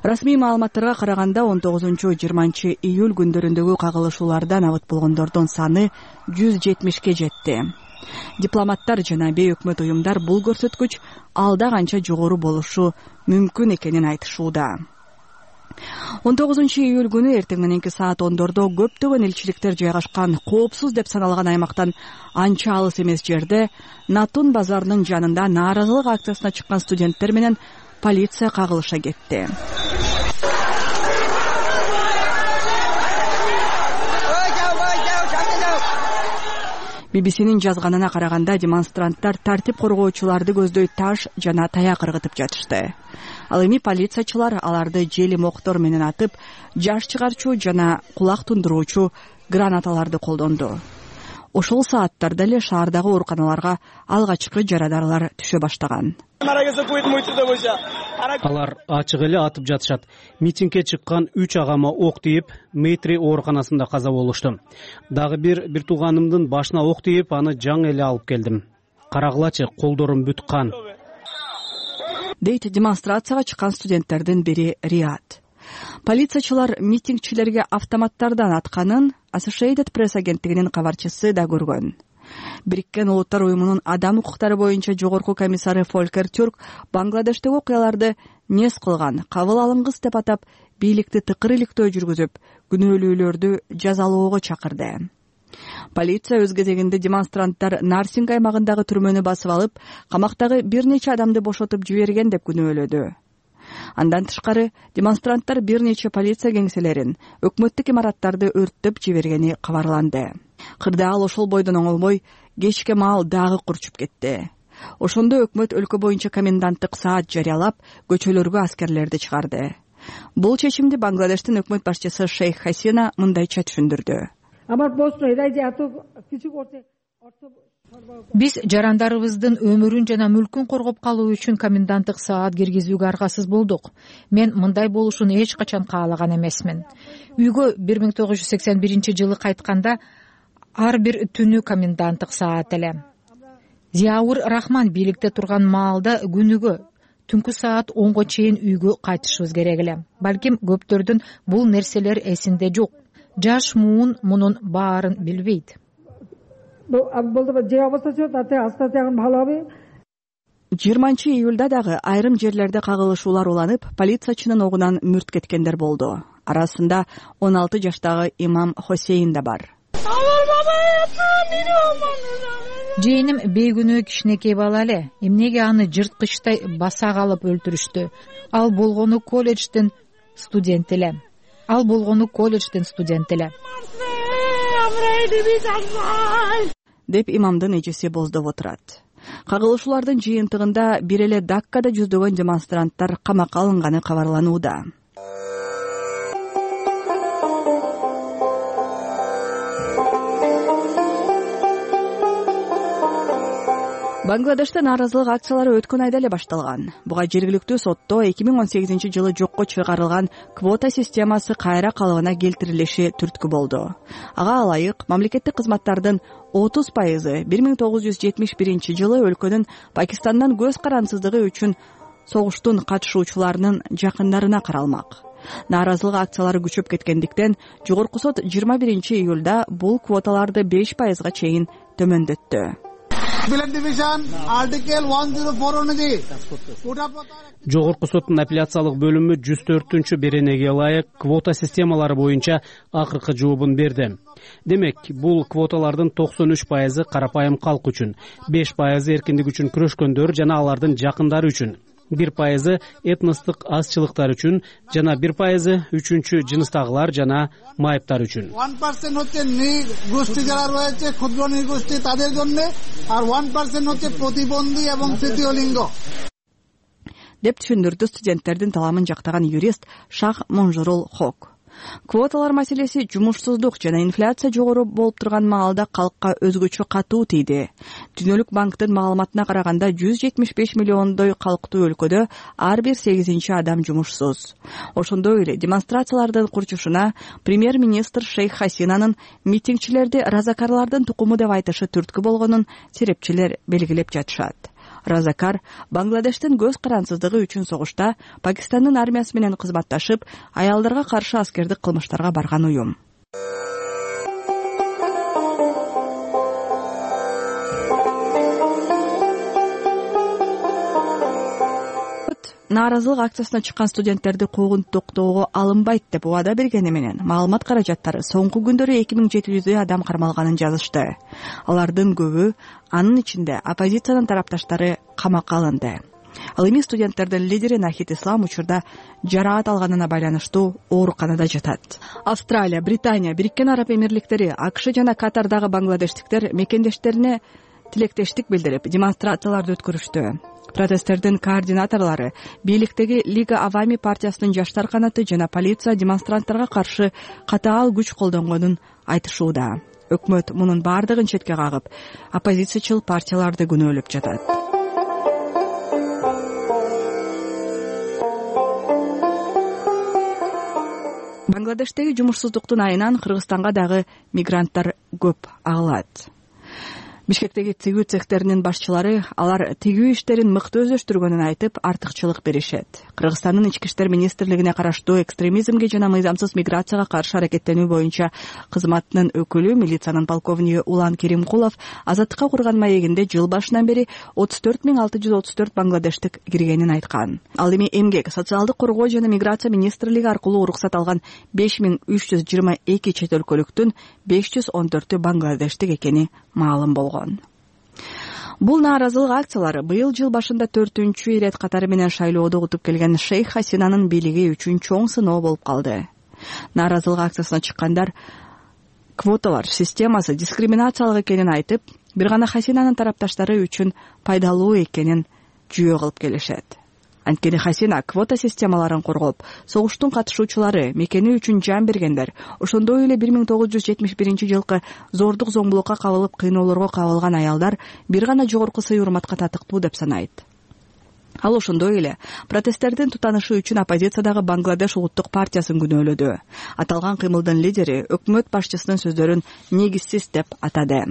Расмий маалыматтарга караганда он тогузунчу жыйырманчы июль күндөрүндөгү кагылышуулардан абыт болгондордун саны жүз жетимишке жетти. Дипломаттар жана бейөкмөт уюмдар бул көрсөткүч алда канча жогору болушу мүмкүн экенин айтышууда. он тогузунчу июль күнү эртең мененки саат ондордо көптөгөн элчиликтер жайгашкан коопсуз деп саналган аймактан анча алыс эмес жерде Натун базарынын жанында нааразылык акциясына чыккан студенттер менен полиция кагылыша кетти. би би синин жазганына караганда демонстранттар тартип коргоочуларды көздөй таш жана таяк ыргытып жатышты. Ал эми полициячылар аларды жели моктор менен атып, жаш чыгарчу жана кулак тундуруучу гранаталарды колдонду. Ошол сааттарда эле шаардагы ооруканаларга алгачкы жарадаарлар түшө баштаган. Алар ачык эле атып жатышат. Митингге чыккан үч агама ок тийип, Мейтри ооруканасында каза болушту. Дагы бир бир тууганымдын башына ок тийип, аны жаңы эле алып келдим. Карагылачы, колдорум бүт кан. Дейт демонстрацияга чыккан студенттердин бири Риат. Полициячылар митингчилерге автоматтардан атканын Associated Press агенттигинин кабарчысы да көргөн. Бириккен Улуттар уюмунун адам укуктары боюнча жогорку комиссары Фолькер Тюрк Бангладештеги окуяларды нес кылган, кабыл алынгыс деп атап, бийликти тыкыр иликтөө жүргүзүп, күнөөлүүлөрдү жазалоого чакырды. Полиция өз кезегинде демонстранттар Нарсинг аймагындагы түрмөнү басып алып, камактагы бир нече адамды бошотуп жиберген деп күнөөлөдү. Андан тышкары демонстранттар бир нече полиция кеңселерин, өкмөттүк имараттарды өрттөп жибергени кабарланды. Кырдаал ошол бойдон оңолбой кечке маал дагы курчуп кетти. Ошондо өкмөт өлкө боюнча коменданттык саат жарыялап, көчөлөргө аскерлерди чыгарды. Бул чечимди Бангладештин өкмөт башчысы Шейх Хасина мындайча түшүндүрдү. Биз жарандарыбыздын өмүрүн жана мүлкүн коргоп калуу үчүн коменданттык саат киргизүүгө аргасыз болдук. Мен мындай болушун эч качан каалаган эмесмин. Үйгө бир миң тогуз жүз сексен биринчи жылы кайтканда ар бир түнү коменданттык саат эле. Зияур Рахман бийликте турган маалда күнүгө түнкү саат онго чейин үйгө кайтышыбыз керек эле. Балким көптөрдүн бул нерселер эсинде жок. Жаш муун мунун баарын билбейт. жыйырманчы июлда дагы айрым жерлерде кагылышуулар уланып, полициячынын огунан мүрт кеткендер болду. Арасында он алты жаштагы имам Хосейн да бар. Жээним бейгүнөө кичинекей бала эле. Эмнеге аны жырткычтай баса калып өлтүрүштү? Ал болгону колледждин студент эле. Ал болгону колледждин студент эле. деп имамдын эжеси боздоп отурат. Кагылышуулардын жыйынтыгында бир эле Даккада жүздөгөн демонстранттар камакка алынганы кабарланууда. Бангладеште нааразылык акциялары өткөн айда эле башталган. Буга жергиликтүү сотто эки миң он сегизинчи жылы жокко чыгарылган квота системасы кайра калыбына келтирилиши түрткү болду. Ага ылайык мамлекеттик кызматтардын отуз пайызы бир миң тогуз жүз жетимиш биринчи жылы өлкөнүн Пакистандан көз карансыздыгы үчүн согуштун катышуучуларынын жакындарына каралмак. Нааразылык акциялары күчөп кеткендиктен жогорку сот жыйырма биринчи июлда бул квоталарды беш пайызга чейин төмөндөттү. Жогорку соттун апелляциялык бөлүмү жүз төртүнчү беренеге ылайык квота системалары боюнча акыркы жообун берди. Демек, бул квоталардын токсон үч пайызы карапайым калк үчүн, беш пайызы эркиндик үчүн күрөшкөндөр жана алардын жакындары үчүн, бир пайызы этностук азчылыктар үчүн жана бир пайызы үчүнчү жыныстагылар жана майыптар үчүн. এক পার্সেন্ট হচ্ছে নৃগোষ্ঠী যারা রয়েছে ক্ষুদ্র নৃগোষ্ঠী তাদের জন্য আর এক পার্সেন্ট হচ্ছে প্রতিবন্ধী এবং তৃতীয় লিঙ্গ деп түшүндүрдү студенттердин таламын жактаган юрист Шах Монжурул Хок. Квоталар маселеси жумушсуздук жана инфляция жогору болуп турган маалда калкка өзгөчө катуу тийди. Дүйнөлүк банктын маалыматына караганда жүз жетимиш беш миллиондой калктуу өлкөдө ар бир сегизинчи адам жумушсуз. Ошондой эле демонстрациялардын курчушуна премьер-министр Шейх Хасинанын митингчилерди разакарлардын тукуму деп айтышы түрткү болгонун серепчилер белгилеп жатышат. Разакар Бангладештин көз карансыздыгы үчүн согушта Пакистандын армиясы менен кызматташып, аялдарга каршы аскердик кылмыштарга барган уюм. Нааразылык акциясына чыккан студенттерди куугунтуктоого алынбайт деп убада бергени менен маалымат каражаттары соңку күндөрү эки миң жети жүздөй адам кармалганын жазышты. Алардын көбү, анын ичинде оппозициянын тарапташтары, камакка алынды. Ал эми студенттердин лидери Нахид Ислам учурда жараат алганына байланыштуу ооруканада жатат. Австралия, Британия, Бириккен Араб Эмирликтери, АКШ жана Катардагы бангладештиктер мекендештерине тилектештик билдирип, демонстрацияларды өткөрүштү. Протесттердин координаторлору, бийликтеги Лига Авами партиясынын жаштар канаты жана полиция демонстранттарга каршы катаал күч колдонгонун айтышууда. Өкмөт мунун бардыгын четке кагып, оппозициячыл партияларды күнөөлөп жатат. Бангладештеги жумушсуздуктун айынан Кыргызстанга дагы мигранттар көп агылат. Бишкектеги тигүү цехтеринин башчылары алар тигүү иштерин мыкты өздөштүргөнүн айтып, артыкчылык беришет. Кыргызстандын ички иштер министрлигине караштуу экстремизмге жана мыйзамсыз миграцияга каршы аракеттенүү боюнча кызматынын өкүлү, милициянын полковниги Улан Керимкулов азаттыкка курган маегинде жыл башынан бери отуз төрт миң алты жүз отуз төрт бангладештик киргенин айткан. Ал эми эмгек, социалдык коргоо жана миграция министрлиги аркылуу уруксат алган беш миң үч жүз жыйырма эки чет өлкөлүктүн беш жүз он төртү бангладештик экени маалым болгон. Бул нааразылык акциялары быйыл жыл башында төртүнчү ирет катары менен шайлоодо утуп келген Шейх Хасинанын бийлиги үчүн чоң сыноо болуп калды. Нааразылык акциясына чыккандар квоталар системасы дискриминациялык экенин айтып, бир гана Хасинанын тарапташтары үчүн пайдалуу экенин жүйө кылып келишет. Анткени Хасина квота системаларын коргоп, согуштун катышуучулары, мекени үчүн жан бергендер, ошондой эле бир миң тогуз жүз жетимиш биринчи жылкы зордук зомбулукка кабылып кыйноолорго кабылган аялдар бир гана жогорку сый урматка татыктуу деп санайт. Ал ошондой эле протесттердин тутанышы үчүн оппозициядагы Бангладеш улуттук партиясын күнөөлөдү. Аталган кыймылдын лидери өкмөт башчысынын сөздөрүн негизсиз деп атады.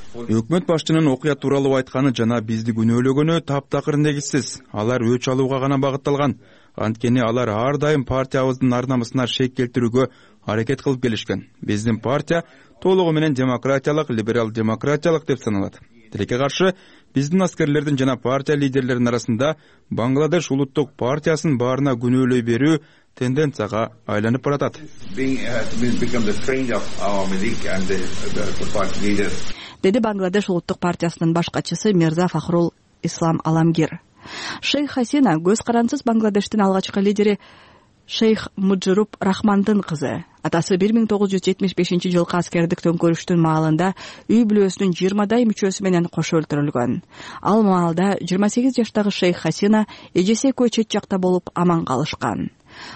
Өкмөт башчынын окуя тууралуу айтканы жана бизди күнөөлөгөнү таптакыр негизсиз. Алар өч алууга гана багытталган. Анткени алар ар дайым партиябыздын ар намысына шек келтирүүгө аракет кылып келишкен. Биздин партия толугу менен демократиялык, либерал демократиялык деп саналат. Тилекке каршы биздин аскерлердин жана партия лидерлеринин арасында Бангладеш улуттук партиясын баарына күнөөлөй берүү тенденцияга айланып баратат. Деди Бангладеш улуттук партиясынын баш катчысы Мирза Фахрул Ислам Аламгир. Шейх Хасина көз карансыз Бангладештин алгачкы лидери Шейх Муджируп Рахмандын кызы. Атасы бир миң тогуз жүз жетимиш бешинчи жылкы аскердик төңкөрүштүн маалында үй бүлөсүнүн жыйырмадай мүчөсү менен кошо өлтүрүлгөн. Ал маалда жыйырма сегиз жаштагы Шейх Хасина эжеси экөө чет жакта болуп аман калышкан.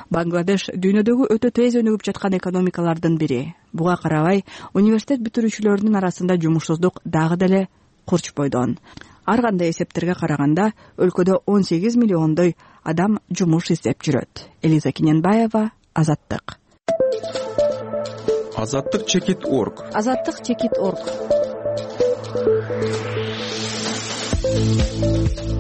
Бангладеш дүйнөдөгү өтө тез өнүгүп жаткан экономикалардын бири. Буга карабай, университет бүтүрүүчүлөрүнүн арасында жумушсуздук дагы деле курч бойдон. Ар кандай эсептерге караганда, өлкөдө он сегиз миллиондой адам жумуш издеп жүрөт. Элиза Кененбаева, Азаттык. Азаттык чекит точка орг. Азаттык чекит точка орг.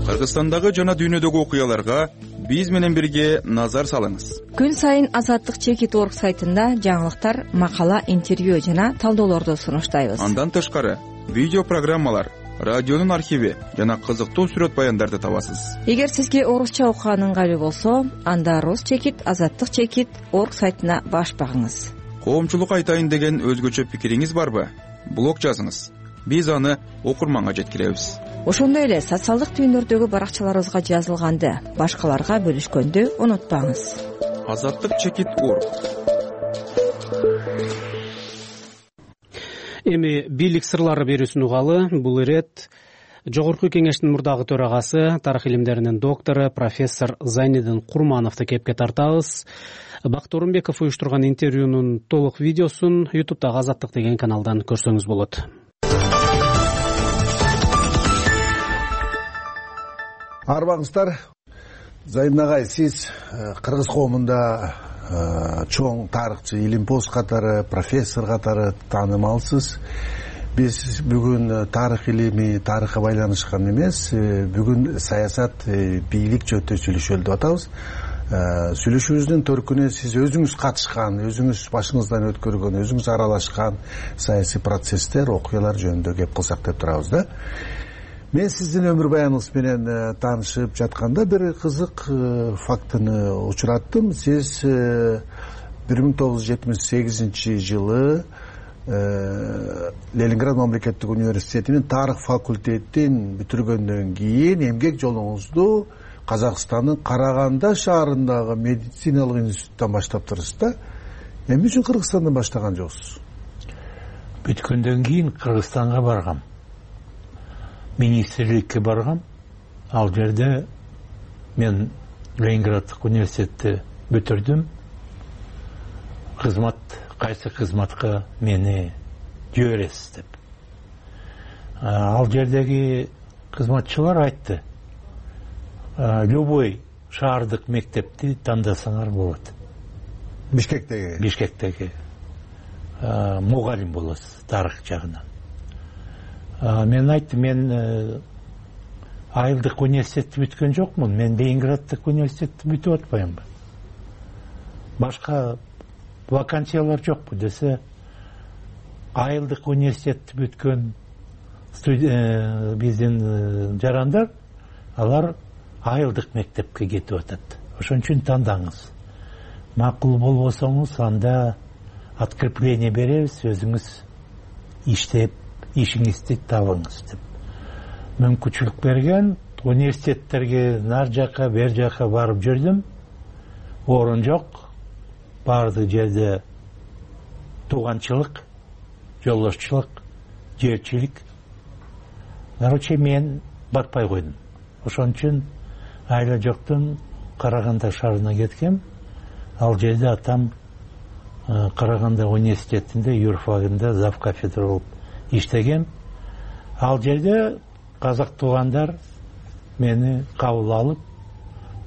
Кыргызстандагы жана дүйнөдөгү окуяларга биз менен бирге назар салыңыз. Күн сайын Азаттык чекит точка орг сайтында жаңылыктар, макала, интервью жана талдоолорду сунуштайбыз. Андан тышкары видео программалар, радионун архиви жана кызыктуу сүрөт баяндарды табасыз. Эгер сизге орусча окуган ыңгайлуу болсо, анда рус чекит азаттык чекит точка орг сайтына баш багыңыз. Коомчулук айтайын деген өзгөчө пикириңиз барбы? Блог жазыңыз. Биз аны окурманга жеткиребиз. Ошондой эле социалдык түйүндөрдөгү баракчаларыбызга жазылганды башкаларга бөлүшкөндү унутпаңыз. Азаттык чекит точка орг. Эми бийлик сырлары берүүсүн угалы. Бул ирет Жогорку Кеңештин мурдагы төрагасы, тарых илимдеринин доктору профессор Зайнидин Курмановду кепке тартабыз. Бакыт Орунбеков уюштурган интервьюнун толук видеосун ютубтагы Азаттык деген каналдан көрсөңүз болот. Арбаңыздар, Зайнин агай, сиз кыргыз коомунда чоң тарыхчы, илимпоз катары, профессор катары таанымалсыз. Биз бүгүн тарых илими, тарыхка байланышкан эмес, бүгүн саясат, бийлик жөнүндө сүйлөшөлү деп атабыз. Сүйлөшүүбүздүн төркүнү сиз өзүңүз катышкан, өзүңүз башыңыздан өткөргөн, өзүңүз аралашкан саясий процесстер, окуялар жөнүндө кеп кылсак деп турабыз да. Мен сиздин өмүр баяныңыз менен таанышып жатканда бир кызык фактыны учураттым. Сиз бир миң тогуз жүз жетимиш сегизинчи жылы Ленинград мамлекеттик университетинин тарых факультетин бүтүргөндөн кийин эмгек жолуңузду Казакстандын Караганда шаарындагы медициналык институттан баштаптырсыз да. Эмне үчүн Кыргызстандан баштаган жоксуз? Бүткөндөн кийин Кыргызстанга баргам. Министрликке баргам. Ал жерде мен Ленинграддык университетти бүтүрдүм. Кызмат, кайсы кызматка мени жибересиз деп. Ал жердеги кызматчылар айтты: любой шаардык мектепти тандасаңар болот. Бишкектеги? Бишкектеги. Мугалим болосуз тарых жагынан. Мен айттым, мен айылдык университетти бүткөн жокмун, мен Ленинграддык университетти бүтүп атпаймынбы? Башка вакансиялар жокпу десе, айылдык университетти бүткөн биздин жарандар, алар айылдык мектепке кетип атат. Ошон үчүн тандаңыз. Макул болбосоңуз, анда открепление беребиз, өзүңүз иштеп, ишиңизди табыңыз деп. Мүмкүнчүлүк берген, университеттерге нар жака, бер жака барып жүрдүм. Орун жок. Бардык жерде тууганчылык, жолдошчулук, жерчилик. Короче, мен батпай койдум. Ошон үчүн айла жоктун Караганда шаарына кеткем. Ал жерде атам Караганда университетинде юрфагында зав кафедра болуп иштегем. Ал жерде казак туугандар мени кабыл алып,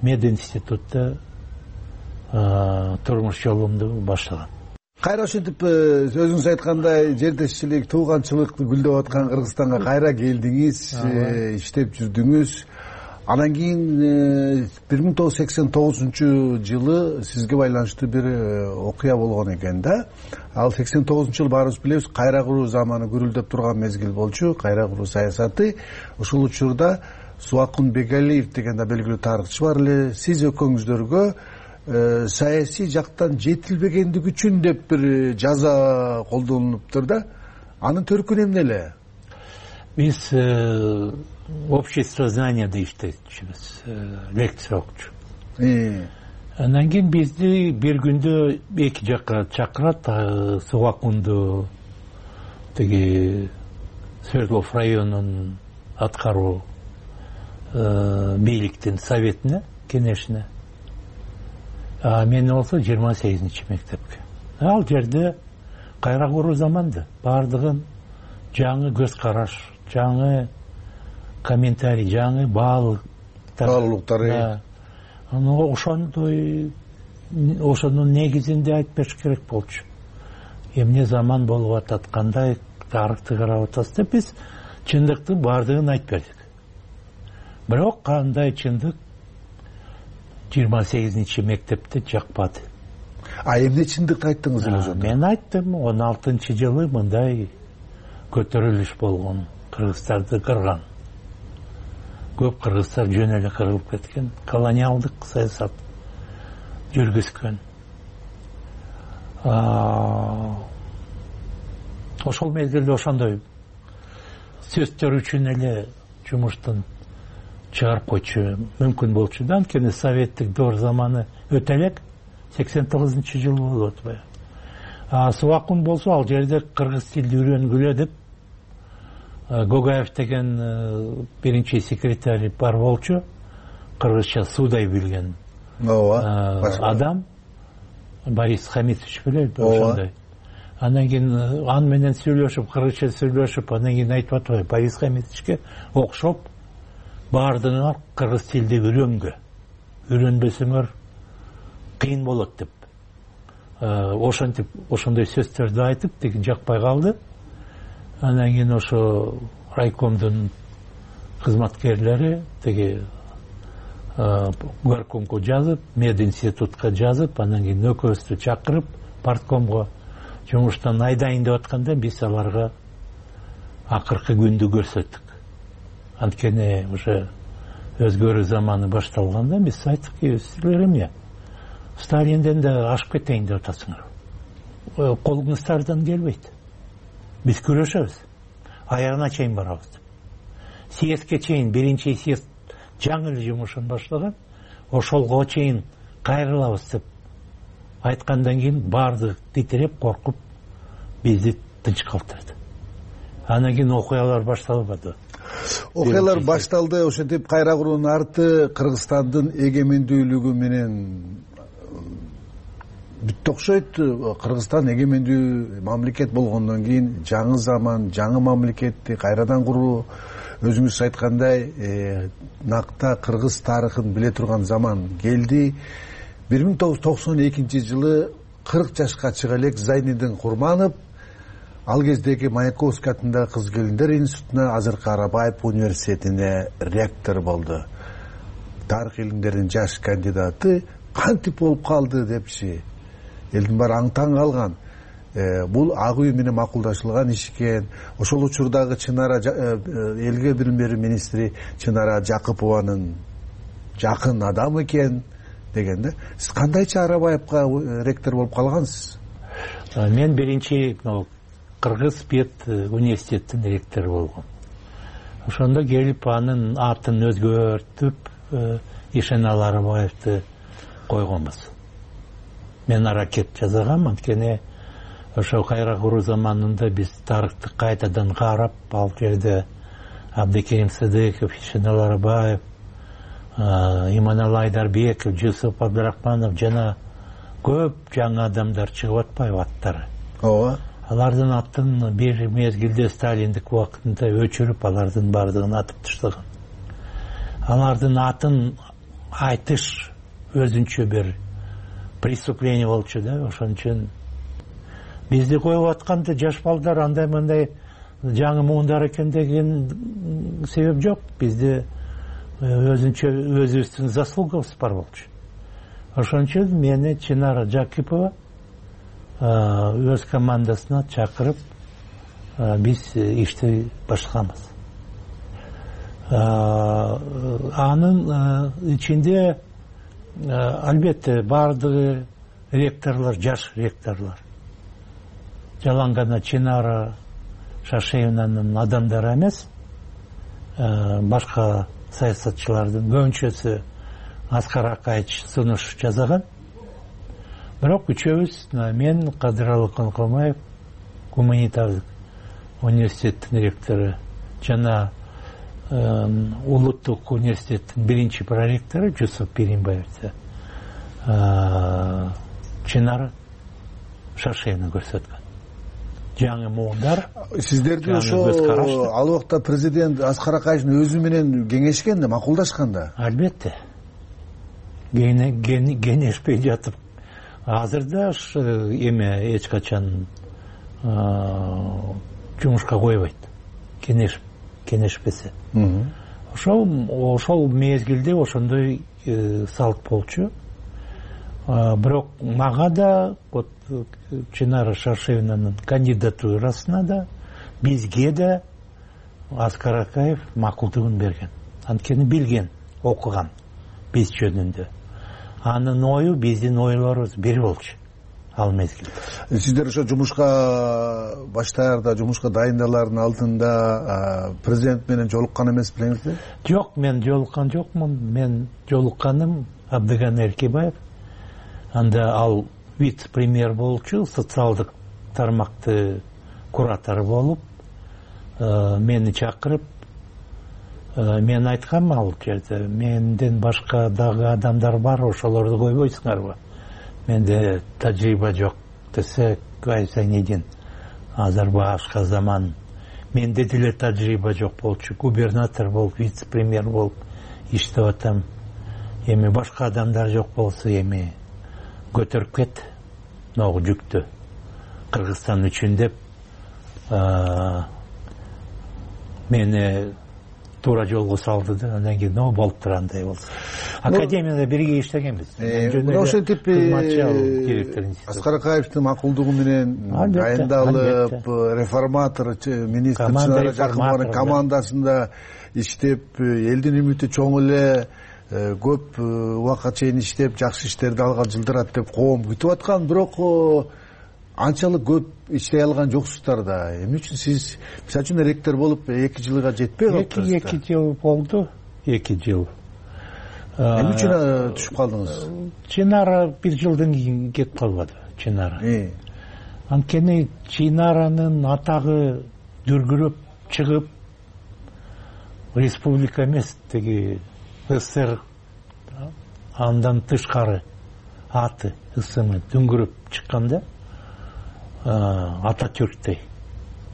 мединститутта турмуш жолумду баштаган. Кайра ошентип өзүңүз айткандай жердешчилик, тууганчылык гүлдөп аткан Кыргызстанга кайра келдиңиз, иштеп жүрдүңүз. Анан кийин бир миң тогуз жүз сексен тогузунчу жылы сизге байланыштуу бир окуя болгон экен да. Ал сексен тогузунчу жыл баарыбыз билебиз, кайра куруу заманы гүрүлдөп турган мезгил болчу, кайра куруу саясаты. Ушул учурда Субакун Бегалиев деген да белгилүү тарыхчы бар эле. Сиз экөөңүздөргө саясий жактан жетилбегендик үчүн деп бир жаза колдонулуптур да. Анын төркүнү эмне эле? Биз общество знанияда иштечүбүз, лекция окучу. Андан кийин бизди бир күндө эки жакка чакырат, Субакунду тиги Свердлов районунун аткаруу бийликтин советине, кеңешине. мен болсо жыйырма сегизинчи мектепке. Ал жерде кайра куруу заманды, баардыгын жаңы көз караш, жаңы комментарий, жаңы баалуулуктары, ошондой ошонун негизинде айтып бериш керек болчу. Эмне заман болуп атат, кандай тарыхты карап атабыз деп биз чындыктын баардыгын айтып бердик. Бирок кандай чындык жыйырма сегизинчи мектепте жакпады. А эмне чындыкты айттыңыз эле ошондо? Мен айттым, он алтынчы жылы мындай көтөрүлүш болгон, кыргыздарды кырган. Көп кыргыздар жөн эле кырылып кеткен, колониалдык саясат жүргүзгөн. Ошол мезгилде ошондой сөздөр үчүн эле жумуштан чыгарып койчу мүмкүн болчу да, анткени советтик доор заманы өтө элек, сексен тогузунчу жыл болуп атпайбы. А Субакун болсо ал жерде кыргыз тилди үйрөнгүлө деп Гогаев деген биринчи секретарь бар болчу, кыргызча суудай билген адам, Борис Хамитович билеби, ошондой. Андан кийин аны менен сүйлөшүп, кыргызча сүйлөшүп, андан кийин айтып атпайбы, Борис Хамитовичке окшоп баардыгыңар кыргыз тилди үйрөнгө, үйрөнбөсөңөр кыйын болот деп. Ошентип, ошондой сөздөрдү айтып, тиги жакпай калды. Андан кийин ошо райкомдун кызматкерлери тиги горкомго жазып, мединститутка жазып, андан кийин экөөбүздү чакырып парткомго жумуштан айдайын деп атканда биз аларга акыркы күндү көрсөттүк. Анткени уже өзгөрүү заманы башталганда биз айттык, силер эмне Сталинден да ашып кетейин деп атасыңар. Колуңуздардан келбейт. Биз күрөшөбүз. Аягына чейин барабыз. Съездке чейин биринчи съезд жаңы эле жумушун баштаган, ошолго чейин кайрылабыз деп айткандан кийин баардыгы титиреп, коркуп бизди тынч калтырды. Андан кийин окуялар башталбады. Окуялар башталды, ошентип кайра куруунун арты Кыргызстандын эгемендүүлүгү менен бүттү окшойт. Кыргызстан эгемендүү мамлекет болгондон кийин жаңы заман, жаңы мамлекетти кайрадан куруу, өзүңүз айткандай, накта кыргыз тарыхын биле турган заман келди. бир миң тогуз жүз токсон экинчи жылы кырк жашка чыга элек Зайнидин Курманов ал кездеги Маяковский атындагы кыз келиндер институтуна, азыркы Арабаев университетине ректор болду. Тарых илимдеринин жаш кандидаты. Кантип болуп калды депчи элдин баары аң-таң калган. Бул ак үй менен макулдашылган иш экен. Ошол учурдагы Чынара элге билим берүү министри Чынара Жакыпованын жакын адамы экен дегенде. Сиз кандайча Арабаевка ректор болуп калгансыз? Мен биринчи Кыргыз Пет университеттин ректору болгом. Ошондо келип анын атын өзгөртүп Ишенал Арабаевди койгонбуз. Мен аракет жасагам, анткени ошо кайра куруу заманында биз тарыхты кайтадан карап, ал жерде Абдыкерим Сыдыков, Ишенал Арабаев, Иманалы Айдарбеков, Жусуп Абдырахманов жана көп жаңы адамдар чыгып атпайбы аттары. Ооба. Алардын атын бир мезгилде Сталиндик убакытында өчүрүп, алардын баардыгын атып таштаган. Алардын атын айтыш өзүнчө бир преступление болчу да, ошон үчүн бизди коюп атканда жаш балдар андай мындай жаңы муундар экен деген себеп жок. Бизде өзүнчө өзүбүздүн заслугабыз бар болчу. Ошон үчүн мени Чынара Жакипова өз командасына чакырып биз ишти баштаганбыз. Анын ичинде албетте баардыгы ректорлор, жаш ректорлор. Жалаң гана Чынара Шашеевнанын адамдары эмес, башка саясатчылардын көбүнчөсү Аскар Акаевич сунуш жасаган. Бирок үчөөбүз, мен Кадыралы Конкомаев, гуманитардык университеттин ректору жана Улуттук университеттин биринчи проректору Жусуп Пиринбаев Чынара Шаршеевни көрсөткөн. Жаңы муундар. Сиздерди ошо ал убакта президент Аскар Акаевдин өзү менен кеңешкен да, макулдашкан да. Албетте. Кеңешпей жатып. Азыр да эме эч качан жумушка койбойт. Кеңеш кеңешпесе. Ошол ошол мезгилде ошондой салт болчу. Бирок мага да вот Чынара Шаршеевнанын кандидатурасына да бизге да Аскар Акаев макулдугун берген. Анткени билген, окуган биз жөнүндө. Анын ою биздин ойлорубуз бир болчу ал мезгилде. Сиздер ошо жумушка баштаарда, жумушка дайындалардын алдында президент менен жолуккан эмес белеңизби? Жок, мен жолуккан жокмун. Мен жолукканым Абдыган Эркебаев. Анда ал вице-премьер болчу, социалдык тармакты куратор болуп, мени чакырып, мен айткам ал жерде, менден башка дагы адамдар бар, ошолорду койбойсуңарбы? Менде тажрыйба жок десе, ай Зайнедин, азыр башка заман. Менде деле тажрыйба жок болчу, губернатор болуп, вице-премьер болуп иштеп атам. Эми башка адамдар жок болсо, эми көтөрүп кет могу жүктү Кыргызстан үчүн деп мени туура жолго салды да. Андан кийин но болуптур андай болсо. Академияда бирге иштегенбиз. Ошентип Аскар Акаевдин макулдугу менен дайындалып, реформатор министр Чынара Жакыпованын командасында иштеп, элдин үмүтү чоң эле, көп убакка чейин иштеп, жакшы иштерди алган, жылдырат деп коом күтүп аткан, бирок анчалык көп иштей алган жоксуздар да. Эмне үчүн сиз мисалы үчүн ректор болуп эки жылга жетпей калыптырсыз? эки жыл болду, эки жыл. Эмне үчүн түшүп калдыңыз? Чынара бир жылдан кийин кетип калбады, Чынара. Анткени Чынаранын атагы дүргүрөп чыгып, республика эмес, теги СССР андан тышкары аты, ысымы дүңгүрөп чыкканда, Ататүрктей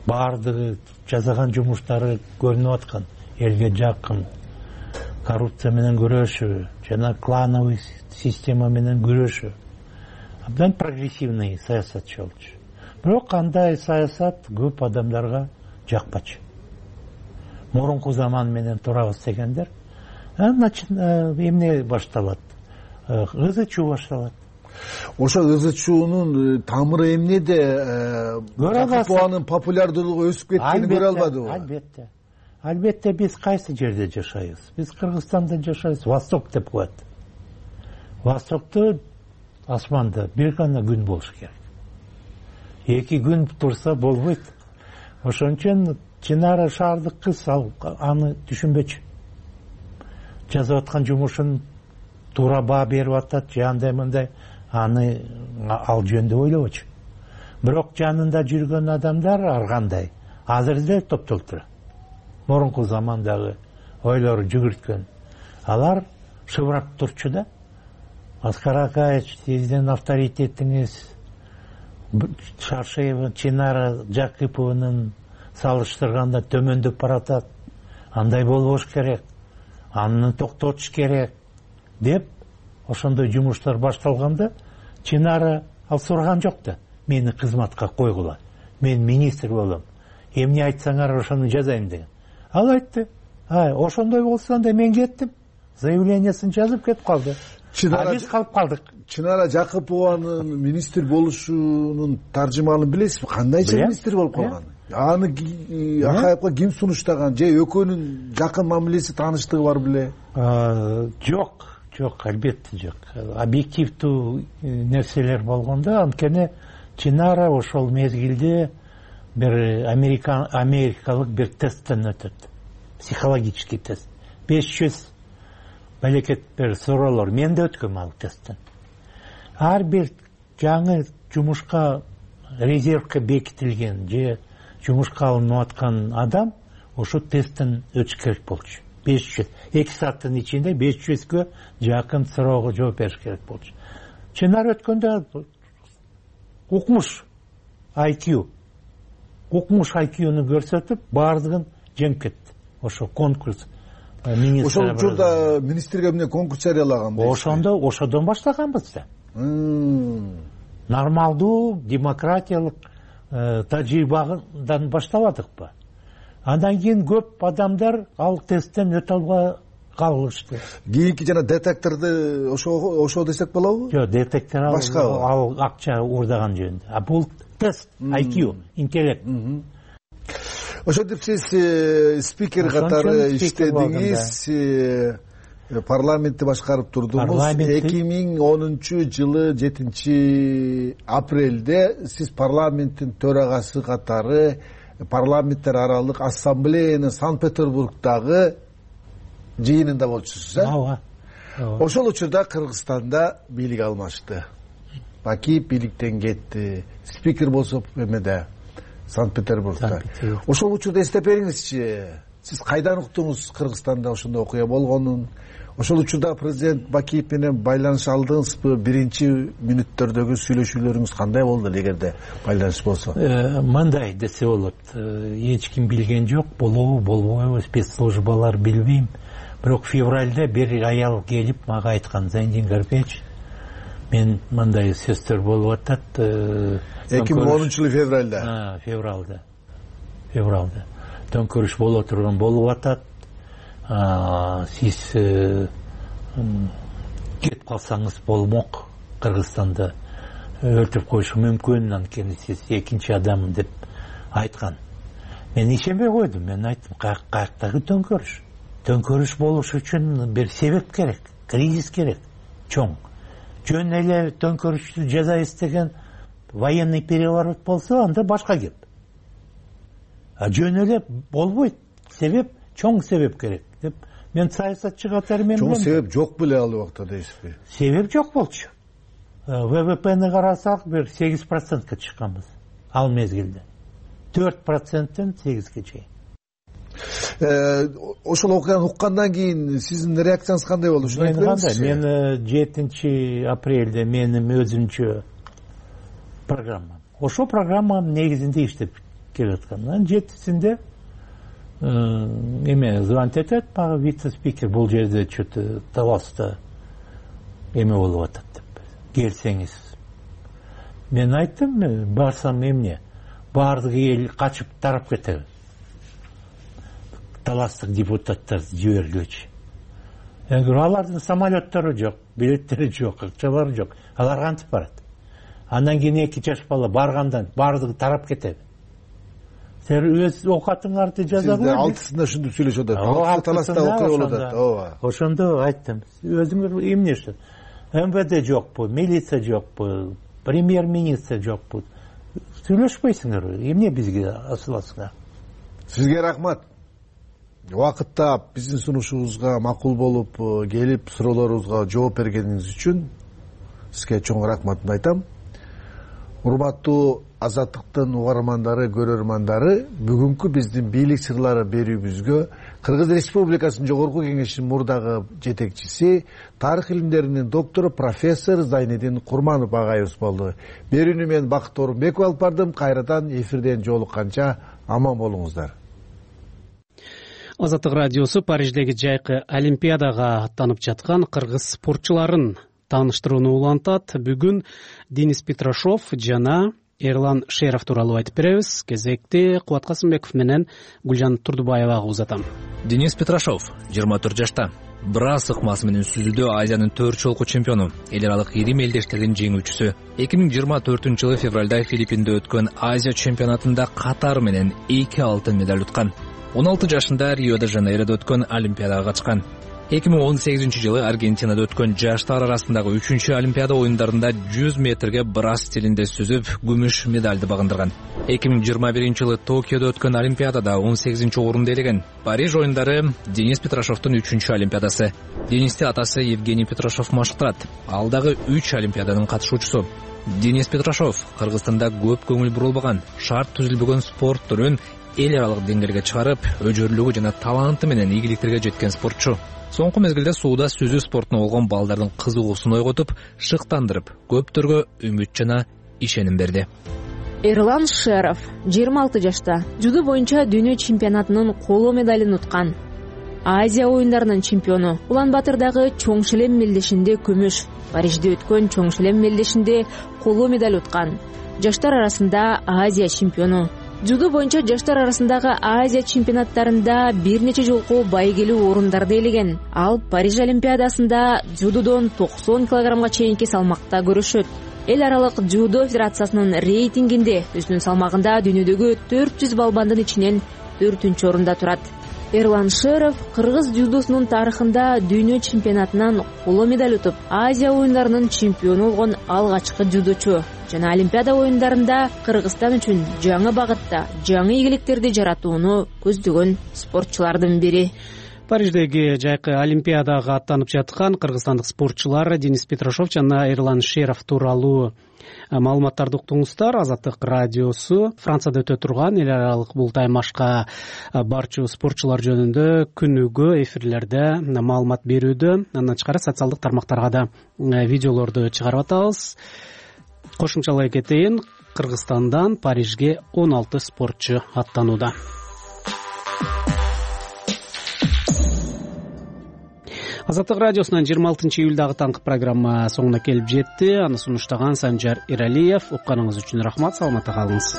баардыгы жасаган жумуштары көрүнүп аткан, элге жакын, коррупция менен күрөшүү жана клановый система менен күрөшүү. Абдан прогрессивный саясатчы болчу. Бирок андай саясат көп адамдарга жакпачу. Мурунку заман менен турабыз дегендер, эмне башталат? Ызы чуу башталат. Ошо ызы чуунун тамыры эмнеде? Жакыпованын популярдуулугу өсүп кеткенин көрө албадыбы? Албетте. Албетте биз кайсы жерде жашайбыз? Биз Кыргызстанда жашайбыз, Восток деп коет. Востокто асманда бир гана күн болуш керек. Эки күн турса болбойт. Ошон үчүн Чынара шаардык кыз аны түшүнбөчү. Жазып аткан жумушун туура баа берип атат, же андай мындай, аны ал жөнүндө ойлобочу. Бирок жанында жүргөн адамдар ар кандай азыр да топтолуп турат. Мурунку замандагы ойлору жүгүрткөн. Алар шыбырап турчу да. Аскар Акаев, сиздин авторитетиңиз Шаршеева, Чынара Жакыпованын салыштырганда төмөндөп баратат. Андай болбош керек. Аны токтотуш керек деп ошондой жумуштар башталганда, Чынара ал сураган жок да. Мени кызматка койгула. Мен министр болом. Эмне айтсаңар ошону жазайм деген. Ал айтты. Ай, ошондой болсо анда мен кеттим. Заявлениясын жазып кетип калды. А биз калып калдык. Чынара Жакыпованын министр болушунун таржымалын билесизби? Кандайча министр болуп калган? Аны Акаевга ким сунуштаган? Же экөөнүн жакын мамилеси, тааныштыгы бар беле? Жок, жок, албетте жок. Объективдүү нерселер болгондо, анткени Чынара ошол мезгилде бир америкалык бир тесттен өтөт. Психологический тест. беш жүз балекет бир суроолор. Мен да өткөм ал тесттен. Ар бир жаңы жумушка резервке бекитилген же жумушка алынып аткан адам ошо тесттен өтүш керек болчу. беш жүз эки сааттын ичинде беш жүзгө жакын суроого жооп бериш керек болчу. чынар өткөндө укмуш ай кью укмуш ай кьюну көрсөтүп баардыгын жеңип кетти ошо конкурс. Ошол учурда министрге эмне конкурс жарыялаган дейсиз? Ошондо ошодон баштаганбыз да. Нормалдуу демократиялык тажрыйбадан баштабадыкпы? Андан кийин көп адамдар ал тесттен өтө албай калышты. Кийинки жана детекторду ошо ошо десек болобу? Жок, детектор ал ал акча уурдаган жөнүндө. А бул тест ай кью, интеллект. Ошентип сиз спикер катары иштедиңиз, парламентти башкарып турдуңуз. эки миң онунчу жылы жетинчи апрелде сиз парламенттин төрагасы катары парламенттер аралык ассамблеянын Санкт-Петербургдагы жыйынында болчусуз, э? Ооба. Ошол учурда Кыргызстанда бийлик алмашты. Бакиев бийликтен кетти. Спикер болсо эмеде Санкт-Петербургда. Ошол учурда эстеп бериңизчи. Сиз кайдан уктуңуз Кыргызстанда ошондой окуя болгонун? Ошол учурда президент Бакиев менен байланыш алдыңызбы? Биринчи мүнөттөрдөгү сүйлөшүүлөрүңүз кандай болду эгерде байланыш болсо? Мындай десе болот. Эч ким билген жок, болобу, болбойбу, спецслужбалар билбейм. Бирок февралда бир аял келип мага айткан: Зайнидин Гарипович, мен мындай сөздөр болуп атат. эки миң онунчу жылы февралда. А, февралда. Февралда. Төңкөрүш боло турган болуп атат. Сиз кетип калсаңыз болмок, Кыргызстанда өлтүрүп коюшу мүмкүн, анткени сиз экинчи адаммын деп айткан. Мен ишенбей койдум. Мен айттым: каяктагы төңкөрүш? Төңкөрүш болуш үчүн бир себеп керек, кризис керек, чоң. Жөн эле төңкөрүштү жаза истеген военный переворот болсо, анда башка кеп. А жөн эле болбойт. Себеп, чоң себеп керек деп мен саясатчы катары мен чоң себеп жок беле ал убакта дейсизби? Себеп жок болчу. вэ вэ пэни карасак бир сегиз процентке чыкканбыз ал мезгилде. төрт проценттен сегизге чейин. Ошол окуяны уккандан кийин сиздин реакцияңыз кандай болду? Ушуну айтып бериңизчи. Мен жетинчи апрелде менин өзүмчө программам. Ошол программанын негизинде иштеп келаткан. жетисинде эме звонить этет мага вице-спикер, бул жерде что-то таласта эме болуп атат деп. Келсеңиз. Мен айттым, барсам эмне? Баардык эл качып тарап кетеби. Таластык депутаттарды жибергилечи. Алардын самолеттери жок, билеттери жок, акчалары жок. Алар кантип барат? Андан кийин эки жаш бала баргандан баардыгы тарап кетеби. Сен өз окатыңарды жаза кой. Сиз алтысында ушинтип сүйлөшүп атат. Алтысы таласта окуя болуп атат. Ооба. Ошондо айттым. Өзүңөр эмне иштеп? эм вэ дэ жокпу, милиция жокпу, премьер-министр жокпу. Сүйлөшпөйсүңөр. Эмне бизге асыласыңар? Сизге рахмат. Убакытта биздин сунушубузга макул болуп келип суроолорубузга жооп бергениңиз үчүн сизге чоң рахматымды айтам. Урматтуу Азаттыктын угармандары, көрөрмандары, бүгүнкү биздин бийлик сырлары берүүбүзгө Кыргыз Республикасынын Жогорку Кеңешинин мурдагы жетекчиси, тарых илимдеринин доктору профессор Зайнидин Курманов агайыбыз болду. Берүүнү мен Бакыт Орунбеков алып бардым. Кайрадан эфирден жолукканча аман болуңуздар. Азаттык радиосу Париждеги жайкы Олимпиадага аттанып жаткан кыргыз спортчуларын тааныштырууну улантат. Бүгүн Денис Петрашов жана Эрлан Шеров тууралуу айтып беребиз. Кезекти Кубат Касымбеков менен Гүлжан Турдубаевага узатам. Денис Петрашов жыйырма төрт жашта. Брас ыкмасы менен сүзүүдө Азиянын төрт жолку чемпиону, эл аралык ирим элдештердин жеңүүчүсү. эки миң жыйырма төртүнчү жылы февралда Филиппинде өткөн Азия чемпионатында Катар менен эки алтын медаль уткан. он алты жашында Рио-де-Жанейродо өткөн Олимпиадага катышкан. эки миң он сегизинчи жылы Аргентинада өткөн жаштар арасындагы үчүнчү Олимпиада оюндарында жүз метрге брас стилинде сүзүп, күмүш медальды багындырган. эки миң жыйырма биринчи жылы Токиодо өткөн Олимпиадада он сегизинчи орунду ээлеген. Париж оюндары Денис Петрашовдун үчүнчү Олимпиадасы. Денисти атасы Евгений Петрашов машыктырат. Ал дагы үч Олимпиаданын катышуучусу. Денис Петрашов Кыргызстанда көп көңүл бурулбаган, шарт түзүлбөгөн спорт түрүн эл аралык деңгээлге чыгарып, өжөрлүгү жана таланты менен ийгиликтерге жеткен спортчу. Соңку мезгилде сууда сүзүү спортуна болгон балдардын кызыгуусун ойготуп, шыктандырып, көптөргө үмүт жана ишеним берди. Эрлан Шеров жыйырма алты жашта дзюдо боюнча дүйнө чемпионатынын коло медалын уткан. Азия оюндарынын чемпиону. Улан-Батырдагы чоң шилем мелдешинде күмүш, Парижде өткөн чоң шилем мелдешинде коло медаль уткан. Жаштар арасында Азия чемпиону. Дзюдо боюнча жаштар арасындагы Азия чемпионаттарында бир нече жолку байгелүү орундарды ээлеген. Ал Париж олимпиадасында дзюдодон токсон килограммга чейинки салмакта көрүшөт. Эл аралык дзюдо федерациясынын рейтингинде өзүнүн салмагында дүйнөдөгү төрт жүз балбандын ичинен төртүнчү орунда турат. Эрлан Шеров кыргыз дзюдосунун тарыхында дүйнө чемпионатынан коло медаль утуп, Азия оюндарынын чемпиону болгон алгачкы дзюдочу жана Олимпиада оюндарында Кыргызстан үчүн жаңы багытта жаңы ийгиликтерди жаратууну көздөгөн спортчулардын бири. Париждеги жайкы Олимпиадага аттанып жаткан кыргызстандык спортчулар Денис Петрашов жана Эрлан Шеров тууралуу маалыматтарды уктуңуздар. Азаттык радиосу Францияда өтө турган эл аралык бул таймашка барчу спортчулар жөнүндө күнүгө эфирлерде маалымат берүүдө. Андан тышкары социалдык тармактарга да видеолорду чыгарып атабыз. Кошумчалай кетейин, Кыргызстандан Парижге он алты спортчу аттанууда. Азаттык радиосунан жыйырма алтынчы июлдагы таңкы программа соңуна келип жетти. Аны сунуштаган Санжар Иралиев. Укканыңыз үчүн рахмат. Саламатта калыңыз.